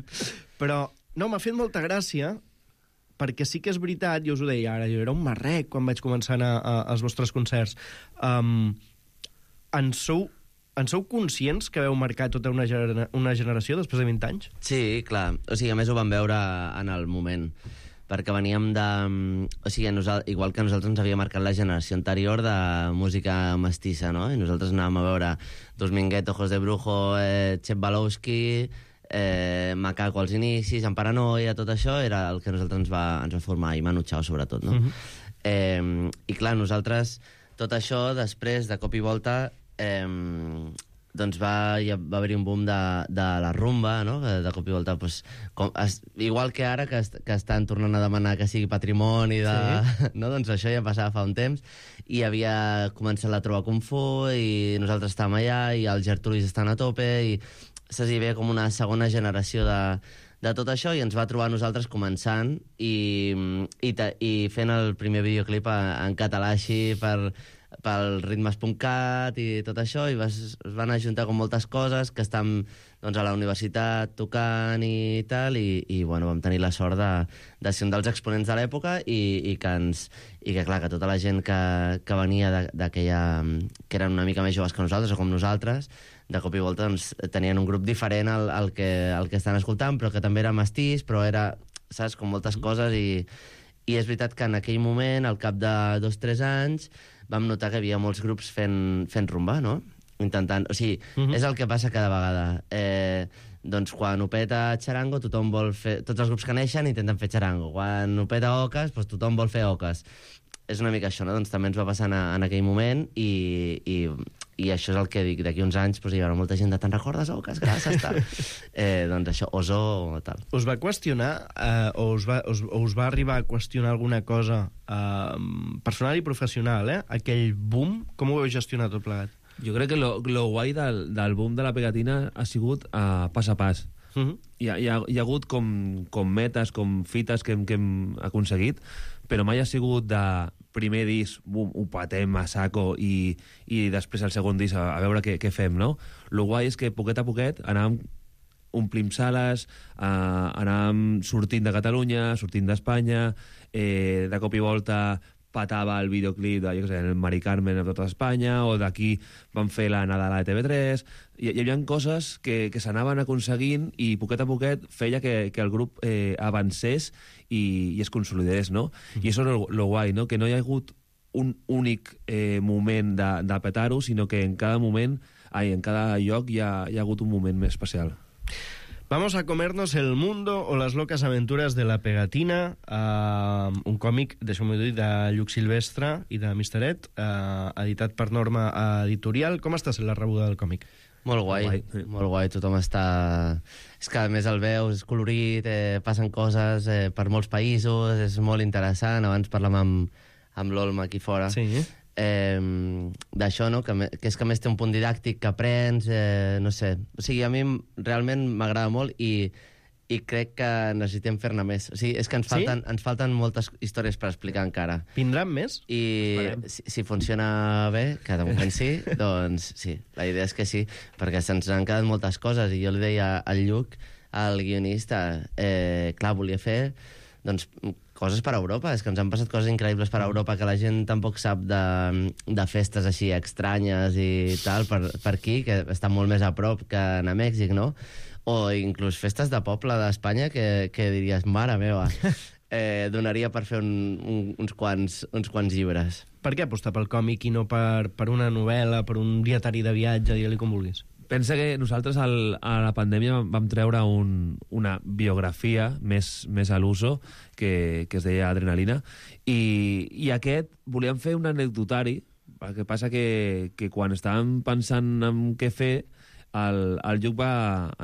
però No, m'ha fet molta gràcia, perquè sí que és veritat, jo us ho deia ara, jo era un marrec quan vaig començar a anar a, als vostres concerts. Um, en, sou, en sou conscients que veu marcar tota una, genera una generació després de vint anys? Sí, clar. O sigui, a més ho vam veure en el moment, perquè veníem de... O sigui, nosaltres, igual que nosaltres ens havia marcat la generació anterior de música mestissa, no? I nosaltres anàvem a veure Dos Minguet, Ojos de Brujo, eh, Chep Balowski, eh, Macaco als inicis, En Paranoia, tot això era el que nosaltres ens va, ens va formar, i Manu Chao sobretot, no? Uh-huh. eh, I clar, nosaltres, tot això, després, de cop i volta, eh, doncs va, ja va haver-hi un boom de, de la rumba, no? De cop i volta, pues, com, es, igual que ara, que, est, que estan tornant a demanar que sigui patrimoni, de, sí. No? Doncs això ja passava fa un temps, i havia començat la Trova Kung Fu, i nosaltres estàvem allà, i els Gertrudis estan a tope, i saps, hi havia com una segona generació de, de tot això, i ens va trobar nosaltres començant, i, i, ta, i fent el primer videoclip en català així, per... pel ritmes punt cat i tot això, i vas, es van ajuntar com moltes coses que estem doncs, a la universitat tocant i tal, i, i bueno, vam tenir la sort de, de ser un dels exponents de l'època, i, i que ens i que clar, que tota la gent que, que venia d'aquella, que eren una mica més joves que nosaltres o com nosaltres, de cop i volta doncs, tenien un grup diferent al, al, que, al que estan escoltant, però que també era mestís, però era, saps, com moltes coses, i, i és veritat que en aquell moment, al cap de dos o tres anys, vam notar que hi havia molts grups fent, fent rumba, no? Intentant... O sigui, uh-huh. és el que passa cada vegada. Eh, doncs quan ho peta Charango, tothom vol fer... Tots els grups que neixen intenten fer Charango. Quan ho peta Ocas, doncs tothom vol fer Ocas. És una mica això, no? Doncs també ens va passar en, en aquell moment, i, i, i això és el que dic. D'aquí uns anys doncs, hi haurà molta gent de «Te'n recordes, Ocas? Gràcies», tal. Eh, doncs això, Oso o tal. Us va qüestionar, eh, o, us va, us, o us va arribar a qüestionar alguna cosa eh, personal i professional, eh? Aquell boom, com ho heu gestionat tot plegat? Jo crec que lo, lo guai del, del boom de la pegatina ha sigut uh, pas a pas. Uh-huh. Hi, ha, hi, ha, hi ha hagut com, com metes, com fites que hem, que hem aconseguit, però mai ha sigut de primer disc, bum, ho patem a saco, i, i després el segon disc a, a veure què, què fem, no? Lo guai és que poquet a poquet anàvem omplim sales, eh, anàvem sortint de Catalunya, sortint d'Espanya, eh, de cop i volta patava el videoclip de, jo què sé, el Mari Carmen a tota Espanya, o d'aquí van fer la Nadala de T V tres. Hi, hi havia coses que, que s'anaven aconseguint, i poquet a poquet feia que, que el grup eh, avancés i, i es consolidés, no? Mm. I això és lo, lo guai, no? Que no hi ha hagut un únic eh, moment de, de petar-ho, sinó que en cada moment, ai, en cada lloc hi ha, hi ha hagut un moment més especial. Vamos a comernos el mundo o las locas aventuras de la pegatina, uh, un còmic, deixeu-m'ho dir, de Lluc Silvestre i de mister Ed, uh, editat per Norma Editorial. Com està sent la rebuda del còmic? Molt guai, molt guai, molt guai, tothom està... És que a més el veus, és colorit, eh, passen coses eh, per molts països, és molt interessant. Abans parlàvem amb, amb l'Olma aquí fora. Sí. Eh, d'això, no? Que, que és que a més té un punt didàctic que aprens, eh, no sé. O sigui, a mi realment m'agrada molt, i, i crec que necessitem fer-ne més. O sigui, és que ens falten, sí? ens falten moltes històries per explicar encara. Vindran més? I si, si funciona bé, que de moment sí, doncs sí, la idea és que sí, perquè se'ns han quedat moltes coses, i jo li deia al Lluc, al guionista, eh, clar, volia fer doncs coses per a Europa, és que ens han passat coses increïbles per a Europa que la gent tampoc sap de, de festes així estranyes i tal per, per aquí, que estan molt més a prop que a Mèxic, no? O inclús festes de poble d'Espanya que, que diries, mare meva, eh, donaria per fer un, un, uns, quants, uns quants llibres. Per què apostar pel còmic i no per, per una novel·la, per un dietari de viatge, digue-li com vulguis? Pensa que nosaltres al, a la pandèmia vam treure un, una biografia més, més a l'uso que, que es deia Adrenalina, i, i aquest volíem fer un anecdotari. El que passa que, que quan estàvem pensant en què fer, el, el Lluc va,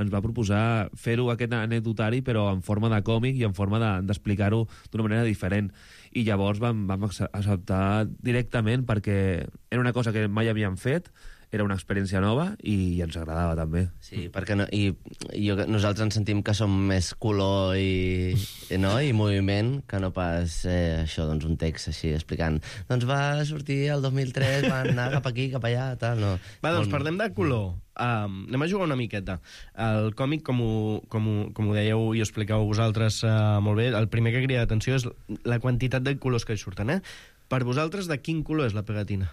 ens va proposar fer-ho aquest anecdotari, però en forma de còmic i en forma d'explicar-ho de, d'una manera diferent. I llavors vam, vam acceptar directament, perquè era una cosa que mai havíem fet, era una experiència nova i ens agradava també. Sí, perquè no, i, i jo, nosaltres ens sentim que som més color i, i, no? i moviment que no pas eh, això, doncs un text així explicant doncs va sortir el dos mil tres, van anar cap aquí, cap allà, tal, no. Va, doncs parlem de color. Um, anem a jugar una miqueta. El còmic, com ho, com ho, com ho dèieu i ho expliqueu vosaltres uh, molt bé, el primer que crida atenció és la quantitat de colors que hi surten, eh? Per vosaltres, de quin color és la pegatina?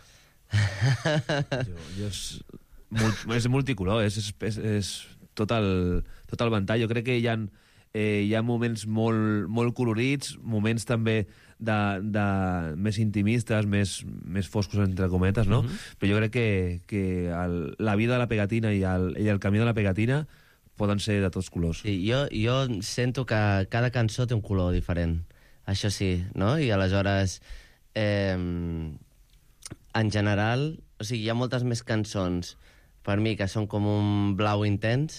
jo, jo és, molt, és multicolor, és, és, és tot, el, tot el ventall. Jo crec que hi ha, eh, hi ha moments molt, molt colorits, moments també de, de més intimistes, més, més foscos, entre cometes, no? Uh-huh. Però jo crec que, que el, la vida de la pegatina i el, i el camí de la pegatina poden ser de tots colors. Sí, jo, jo sento que cada cançó té un color diferent. Això sí, no? I aleshores... Eh, en general, o sigui, hi ha moltes més cançons per mi que són com un blau intens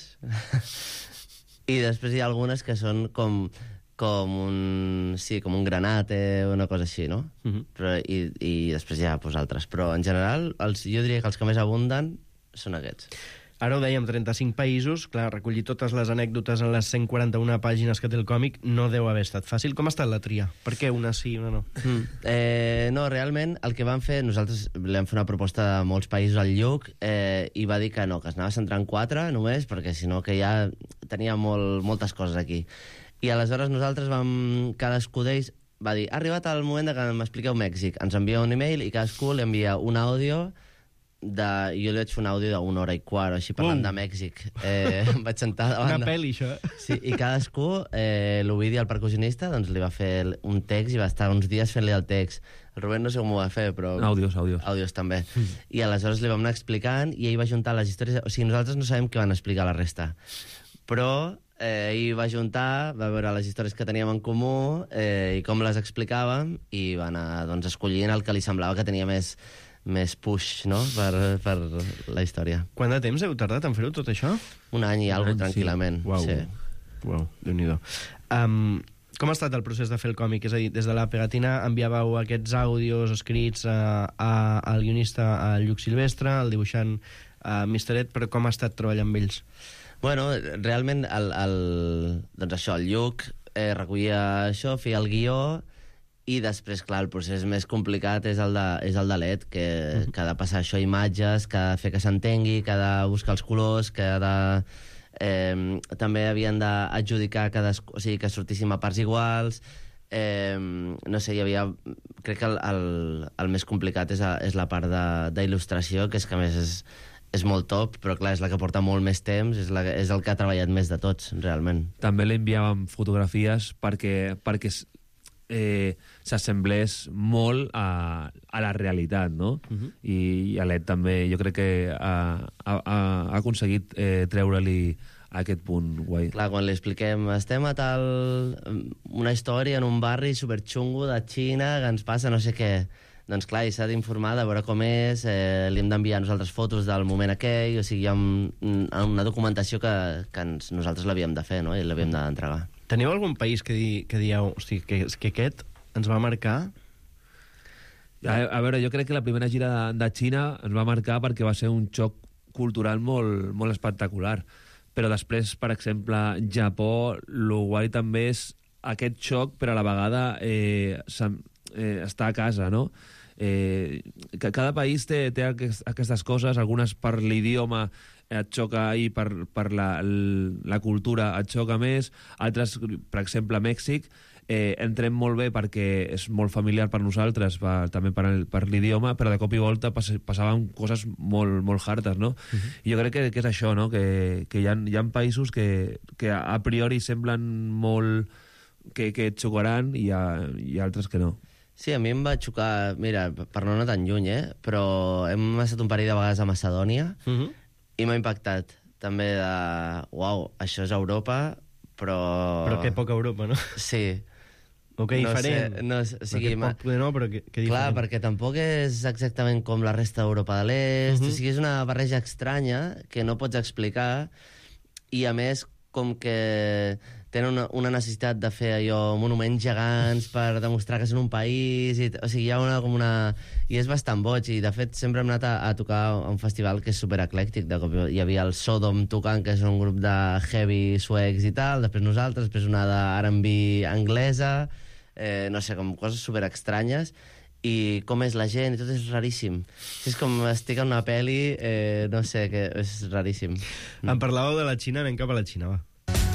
i després hi ha algunes que són com, com un sí, com un granate o una cosa així, no? Uh-huh. Però, i, i després hi ha pues, altres. Però en general, els, jo diria que els que més abunden són aquests. Ara ho dèiem, trenta-cinc països, clar, recollir totes les anècdotes en les cent quaranta-una pàgines que té el còmic no deu haver estat fàcil. Com ha estat la tria? Per què una sí i una no? Mm. Eh, no, realment, el que vam fer, nosaltres li vam fer una proposta de molts països al Lluc eh, i va dir que no, que es anava a centrar en quatre només, perquè si no que ja tenia molt, moltes coses aquí. I aleshores nosaltres vam, cadascú d'ells va dir, ha arribat el moment de que m'expliqueu Mèxic. Ens envia un email i cadascú li envia un àudio de... jo li vaig fer un àudio d'una hora i quart, així parlant uh. de Mèxic. Eh, em vaig sentar davant... Una pel·li, això. Sí, i cadascú, eh, l'Ovidi, el percussionista, doncs li va fer un text i va estar uns dies fent-li el text. El Rubén no sé com ho va fer, però... Àudios, àudios. Àudios, també. Mm. I aleshores li vam anar explicant i ell va juntar les històries... O sigui, nosaltres no sabem què van explicar la resta. Però eh, ell va juntar, va veure les històries que teníem en comú eh, i com les explicàvem i va anar doncs, escollint el que li semblava que tenia més... més push, no?, per, per la història. Quant de temps heu tardat en fer-ho, tot això? Un any i alguna cosa, tranquil·lament. Sí. Uau, sí. Uau, Déu-n'hi-do. Um, com ha estat el procés de fer el còmic? És a dir, des de la pegatina enviàveu aquests àudios escrits a, a, al guionista, a Lluc Silvestre, al dibuixant a mister Ed, però com ha estat treballar amb ells? Bueno, realment, el, el, doncs això, el Lluc eh, recollia això, feia el guió, i després, clar, el procés més complicat és el de, és el de l'Ed, que, uh-huh. que ha de passar això a imatges, que ha de fer que s'entengui, que ha de buscar els colors, que ha de... Eh, també havien d'adjudicar cadascú, o sigui, que sortíssim a parts iguals. Eh, no sé, hi havia... Crec que el, el, el més complicat és, a, és la part d'il·lustració, que és que a més és, és molt top, però clar, és la que porta molt més temps, és, la, és el que ha treballat més de tots, realment. També li enviàvem fotografies perquè... perquè Eh, s'assemblés molt a, a la realitat, no? Uh-huh. I, i l'Ed també, jo crec que ha, ha, ha aconseguit eh, treure-li aquest punt guai. Clar, quan li expliquem, estem a tal... una història en un barri superxungo de Xina que ens passa no sé què. Doncs clar, i s'ha d'informar de veure com és, eh, li hem d'enviar nosaltres fotos del moment aquell, o sigui, hi ha un, una documentació que, que ens, nosaltres l'havíem de fer, no?, i l'havíem d'entregar. Teniu algun país que, di, que dieu, hosti, que, que aquest ens va marcar? A, a veure, jo crec que la primera gira de, de Xina ens va marcar perquè va ser un xoc cultural molt, molt espectacular. Però després, per exemple, Japó, lo guai també és aquest xoc, però a la vegada eh, eh, està a casa, no? Eh, que cada país té, té aquestes coses, algunes per l'idioma et xoca i per, per la, la cultura et xoca més, altres, per exemple, Mèxic, eh, entrem molt bé perquè és molt familiar per nosaltres, per, també per, per l'idioma, però de cop i volta pas, passaven coses molt, molt hartes, no? Uh-huh. I jo crec que, que és això, no?, que, que hi ha, hi ha països que, que a priori semblen molt... que, que et xocaran i, ha, i altres que no. Sí, a mi em va xocar, mira, per no anar tan lluny, eh? Però hem estat un parell de vegades a Macedònia, uh-huh. i m'ha impactat també de... Uau, això és Europa, però... Però que poca Europa, no? Sí. O que no diferent. Sé, no, o sigui, ma... poc, no, però que, que diferent. Clar, perquè tampoc és exactament com la resta d'Europa de l'Est, uh-huh. o sigui, és una barreja estranya que no pots explicar, i a més, com que tenen una, una necessitat de fer allò, monuments gegants per demostrar que són un país, i, o sigui, hi ha una, com una... I és bastant boig, i de fet sempre hem anat a, a tocar a un festival que és supereclèctic. De cop hi havia el Sodom tocant, que és un grup de heavy suecs i tal, després nosaltres, després una de R and B anglesa, eh, no sé, com coses superestranyes, i com és la gent, i tot és raríssim. És com estic en una pel·li, eh, no sé, que és raríssim. Mm. Em parlàveu de la Xina, anem cap a la Xina, va.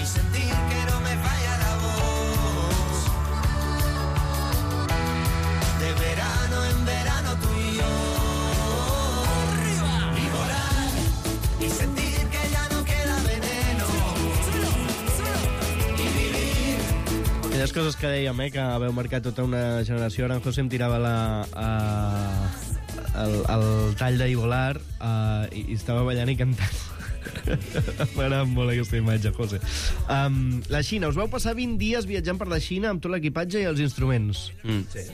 Y sentir que no me falla la voz. De verano en verano tú y yo. Y volar. Y sentir que ya no queda veneno. Y vivir. Aquelles coses que dèiem, eh, que haveu marcat tota una generació. Ara en José em tirava la, uh, el, el tall d'I volar uh, i, i estava ballant i cantant. M'agrada molt aquesta imatge, José. Um, la Xina, us vau passar vint dies viatjant per la Xina amb tot l'equipatge i els instruments. Mm. Sí.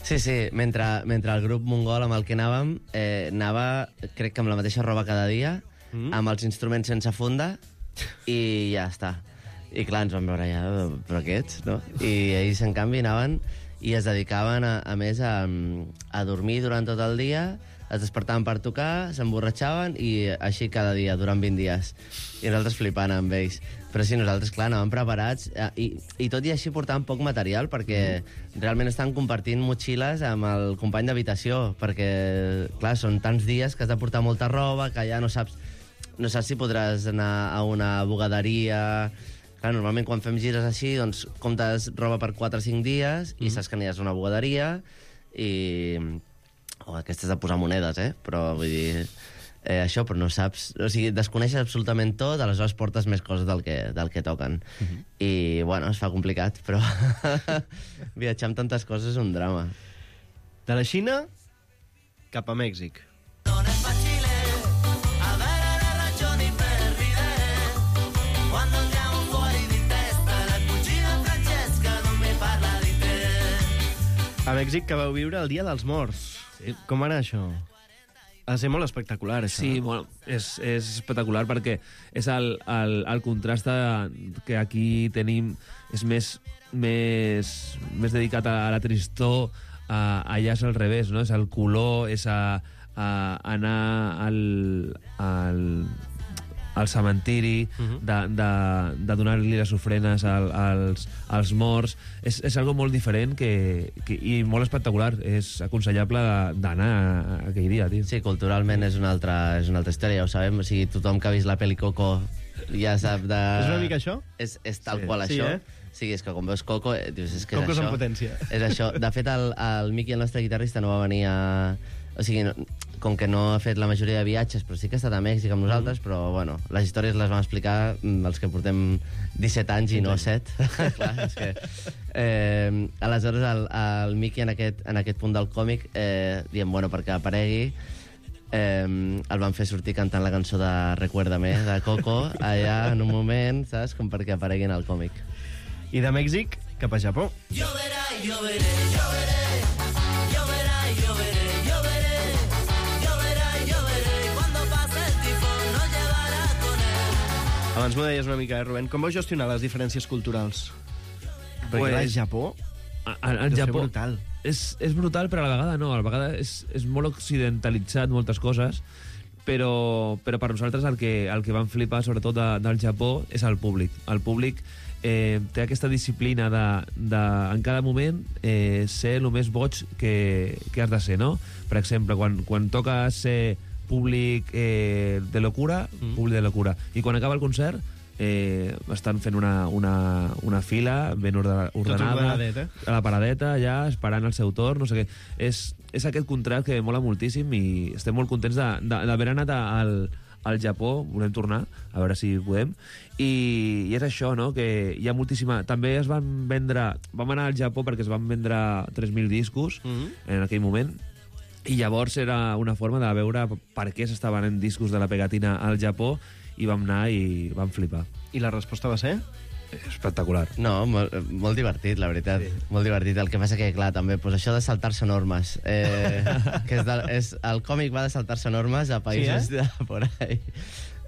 Sí, sí, mentre, mentre el grup mongol amb el que anàvem, eh, anava, crec que amb la mateixa roba cada dia, mm. amb els instruments sense funda, i ja està. I clar, ens vam veure ja, però aquests, no? I ells, en canvi, anaven i es dedicaven, a, a més, a, a dormir durant tot el dia, es despertaven per tocar, s'emborratxaven i així cada dia, durant vint dies. I nosaltres flipant amb ells. Però sí, nosaltres, clar, anàvem preparats i, i tot i així portàvem poc material perquè mm. realment estan compartint motxilles amb el company d'habitació perquè, clar, són tants dies que has de portar molta roba que ja no saps, no saps si podràs anar a una bugaderia. Clar, normalment quan fem gires així, doncs comptes roba per quatre o cinc dies mm. i saps que aniràs a una bugaderia i... o aquestes de posar monedes, eh? Però vull dir... Eh, això, però no saps... O sigui, desconeixes absolutament tot, aleshores portes més coses del que, del que toquen. Uh-huh. I, bueno, es fa complicat, però viatjar amb tantes coses és un drama. De la Xina cap a Mèxic. A Mèxic que vau viure el Dia dels Morts. Sí. Com era això? Ha de ser molt espectacular, això. Sí, bueno, és, és espectacular perquè és el, el, el contrast que aquí tenim és més, més, més dedicat a la tristor, a, allà és al revés, no? És el color, és a, a anar al, al, al cementiri, uh-huh. de, de, de donar-li les ofrenes al, als, als morts. És, és algo molt diferent que, que, i molt espectacular. És aconsellable d'anar aquell dia, tio. Sí, culturalment és una altra, és una altra història, ja ho sabem. O sigui, tothom que ha vist la pel·li Coco ja sap de... És una mica això? És, és tal sí. qual sí, això. Eh? Sí, és que quan veus Coco, dius, és que Coco és això. Coco és en potència. És això. De fet, el, el Miqui, el nostre guitarrista, no va venir a... O sigui, no, com que no ha fet la majoria de viatges, però sí que ha estat a Mèxic amb nosaltres, mm. però, bueno, les històries les vam explicar els que portem disset anys i no set. Clar, és que... Eh, aleshores, el, el Miqui, en aquest, en aquest punt del còmic, eh, diem, bueno, perquè aparegui, eh, el van fer sortir cantant la cançó de Recuérdame, de Coco, allà, en un moment, saps? Com perquè aparegui en el còmic. I de Mèxic cap a Japó. Lloverà i lloveré, lloveré, lloverà i lloveré. Abans m'ho deies una mica, eh, Rubén? Com vau gestionar les diferències culturals? Perquè pues, clar, el Japó... El Japó brutal. És, és brutal, però a la vegada no. A la vegada és, és molt occidentalitzat moltes coses, però, però per nosaltres el que, el que vam flipar, sobretot de, del Japó, és el públic. El públic eh, té aquesta disciplina de, de en cada moment, eh, ser el més boig que, que has de ser, no? Per exemple, quan, quan toca ser públic eh, de locura, mm. públic de locura. I quan acaba el concert, eh, estan fent una, una, una fila ben ordenada, ordenada a la paradeta, ja esperant el seu torn, no sé què. És, és aquest contrast que mola moltíssim i estem molt contents d'haver anat al, al Japó, volem tornar, a veure si podem, i, i és això, no?, que hi ha moltíssima... També es van vendre... Vam anar al Japó perquè es van vendre tres mil discos mm-hmm. en aquell moment, i llavors era una forma de veure per què s'estaven en discos de la pegatina al Japó, i vam anar i vam flipar. I la resposta va ser? Espectacular. No, molt, molt divertit, la veritat. Sí. Molt divertit. El que passa que, clar, també, pues això de saltar-se normes. Eh, que és de, és, el còmic va de saltar-se normes a països sí, eh? de por ahí.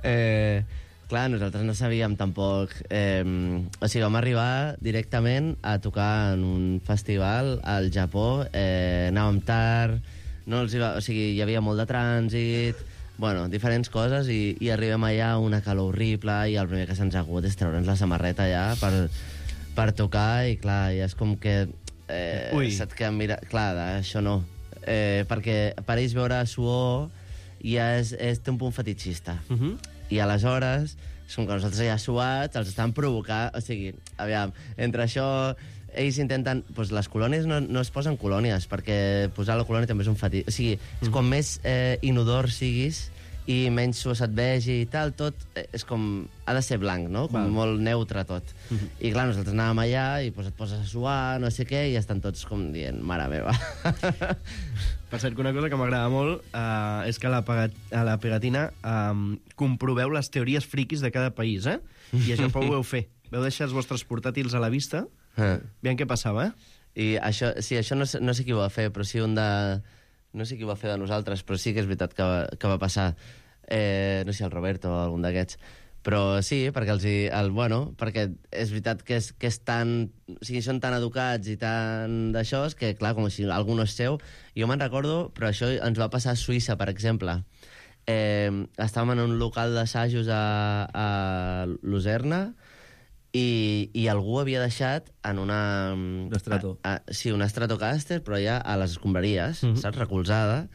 Eh, clar, nosaltres no sabíem tampoc... Eh, o sigui, vam arribar directament a tocar en un festival al Japó, eh, anàvem tard, no els hi va, o sigui, hi havia molt de trànsit, bueno, diferents coses, i, i arribem allà una calor horrible, i el primer que se'ns ha hagut és treure'ns la samarreta allà per, per tocar, i clar, ja és com que... Eh, Ui. se't queda mira... Clar, això no. Eh, perquè per ells veure suor ja és, és, té un punt fetitxista. Uh -huh. I aleshores, és com que nosaltres ja suats, els estan provocant... O sigui, aviam, entre això... Ells intenten... Doncs les colònies no, no es posen colònies, perquè posar la colònia també és un fetitx. O sigui, és com més eh, inodor siguis i menys suor se't vegi i tal, tot eh, és com... Ha de ser blanc, no? Com Val. molt neutre tot. Uh -huh. I clar, nosaltres anàvem allà i pues, et poses a suar, no sé què, i estan tots com dient, mare meva. Per cert, que una cosa que m'agrada molt uh, és que a la, pegat a la pegatina um, comproveu les teories friquis de cada país, eh? I a Japó ho veu fer. Veu deixar els vostres portàtils a la vista. Eh. Aviam què passava, eh? I això, sí, això no, sé- no sé qui ho va fer, però sí un de... No sé qui ho va fer de nosaltres, però sí que és veritat que va, que va passar. Eh, no sé, el Roberto o algun d'aquests. Però sí, perquè els hi... El, bueno, perquè és veritat que és, que és tan... O sigui, són tan educats i tan d'això, és que, clar, com si algú no és seu... Jo me'n recordo, però això ens va passar a Suïssa, per exemple. Eh, estàvem en un local d'assajos a, a Lucerna, i, i algú havia deixat en una... Un estrato. A, a, sí, un Stratocaster, però ja a les escombraries, uh -huh. saps? Recolzada.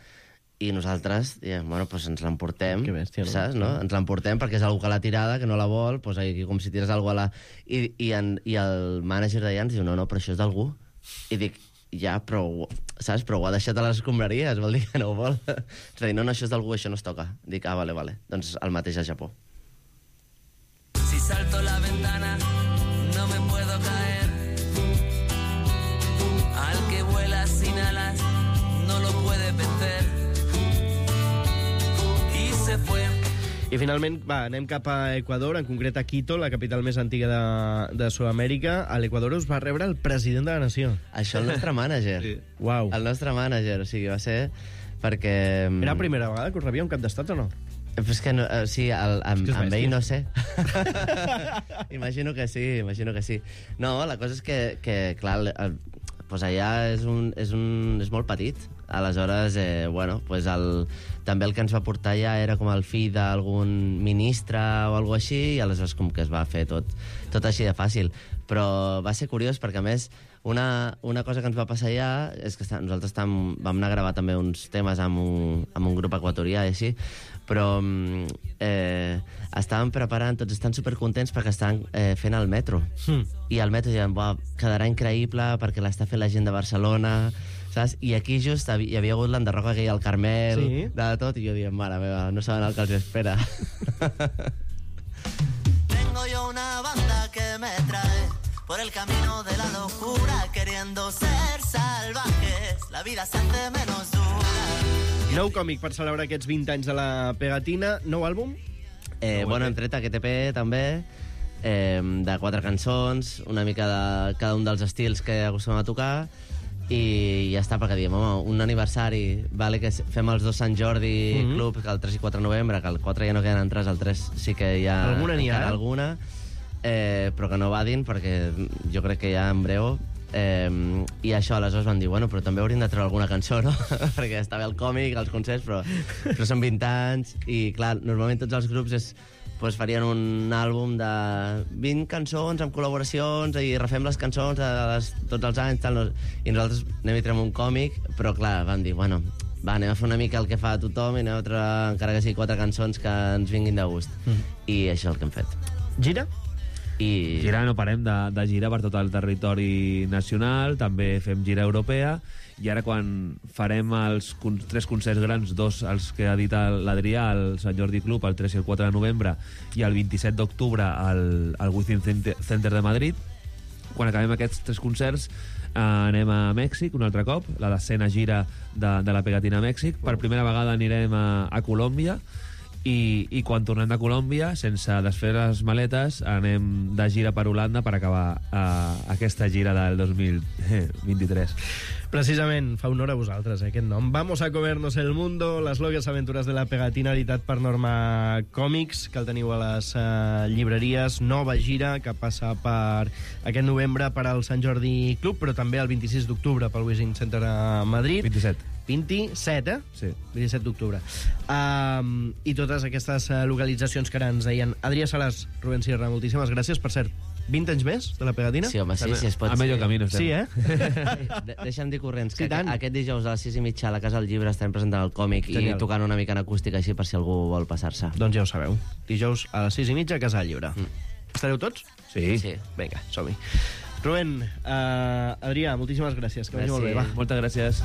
I nosaltres diem, bueno, doncs ens l'emportem, bèstia, no? saps? No? Ens l'emportem perquè és algú que l'ha tirada, que no la vol, doncs aquí com si tires algú a la... I, i, en, i el mànager d'allà ens diu, no, no, però això és d'algú. I dic, ja, però, saps? Però ho ha deixat a les escombraries, vol dir que no ho vol. És a dir, no, no, això és d'algú, això no es toca. Dic, ah, vale, vale. Doncs el mateix a Japó. Si salto la ventana, no me puedo caer. Al que vuela sin alas, no lo puede vencer. Y se fue. I finalment, va, anem cap a Equador, en concret a Quito, la capital més antiga de, de Sud-amèrica. A l'Equador us va rebre el president de la nació. Això el nostre mànager. Sí. Uau. El nostre mànager, o sigui, va ser perquè... Era la primera vegada que us rebia un cap d'estat o no? Però és que no, o sigui, el, amb, És que és amb bèstia. ell no sé. Imagino que sí, imagino que sí. No, la cosa és que, que clar, el, el, pues allà és, un, és, un, és molt petit. Aleshores, eh, bueno, pues el, també el que ens va portar allà era com el fill d'algun ministre o alguna així, i aleshores com que es va fer tot, tot així de fàcil. Però va ser curiós perquè, a més, una, una cosa que ens va passar allà és que està, nosaltres tam, vam anar a gravar també uns temes amb un, amb un grup equatorià i així, però eh, estàvem preparant, tots estan supercontents perquè estan eh, fent el metro. Mm. I el metro diuen, buah, quedarà increïble perquè l'està fent la gent de Barcelona, saps? I aquí just hi havia hagut l'enderroca aquell al Carmel, Sí. de tot, i jo diem, mare meva, no saben el que els espera. Tengo yo una banda que me trae por el camino de la locura, queriendo ser salvajes. La vida se hace menos dura. Nou còmic per celebrar aquests vint anys de la pegatina. Nou àlbum? Eh, bueno, hem tret aquest E P també, eh, de quatre cançons, una mica de cada un dels estils que acostumem a tocar, i ja està, perquè diem, home, un aniversari, vale, que fem els dos Sant Jordi Mhm. Club, que el tres i quatre de novembre, que el quatre ja no queden entrades, el tres sí que hi ha Alguna n'hi ha, encara eh? alguna, eh, però que no vadin, perquè jo crec que ja en breu... Eh, i això, aleshores van dir, bueno, però també hauríem de treure alguna cançó, no? Perquè està bé el còmic, els concerts, però, però són vint anys, i clar, normalment tots els grups és, pues, farien un àlbum de vint cançons amb col·laboracions i refem les cançons de les, tots els anys, tal, no? I nosaltres anem i traiem un còmic, però clar, van dir, bueno, va, anem a fer una mica el que fa tothom i anem a treure, encara que sigui quatre cançons que ens vinguin de gust. Mm. I això és el que hem fet. Gira? I... Gira, no parem de, de girar per tot el territori nacional, també fem gira europea, i ara quan farem els con tres concerts grans, dos els que ha dit l'Adrià, al Sant Jordi Club, el tres i el quatre de novembre, i el vint-i-set d'octubre al, al Within Center de Madrid, quan acabem aquests tres concerts eh, anem a Mèxic un altre cop, la decena gira de, de la pegatina a Mèxic. Per primera vegada anirem a, a Colòmbia, i, i quan tornem de Colòmbia, sense desfer les maletes, anem de gira per Holanda per acabar uh, aquesta gira del dos mil vint-i-tres. Precisament, fa honor a vosaltres, eh, aquest nom. Vamos a comernos el mundo, les locas aventuras de la pegatina, editat per Norma Còmics, que el teniu a les uh, llibreries. Nova gira que passa per aquest novembre per al Sant Jordi Club, però també el vint-i-sis d'octubre pel Wishing Center a Madrid. vint-i-set. vint-i-set, eh? Sí. vint-i-set d'octubre. Um, I totes aquestes uh, localitzacions que ara ens deien. Adrià Salàs, Rubén Sierra, moltíssimes gràcies. Per cert, vint anys més de la pegatina? Sí, home, sí, si es pot. A medio camino estem. Sí, eh? De deixa'm dir corrents, que Sí, tant. aquest dijous a les sis i mitja a la Casa del Llibre estarem presentant el còmic Genial. i tocant una mica en acústica així per si algú vol passar-se. Doncs ja ho sabeu. Dijous a les sis i mitja a Casa del Llibre. Mm. Estareu tots? Sí. Sí. Vinga, som-hi. Rubén, uh, Adrià, moltíssimes gràcies. Que vagi molt bé, va. Moltes gràcies.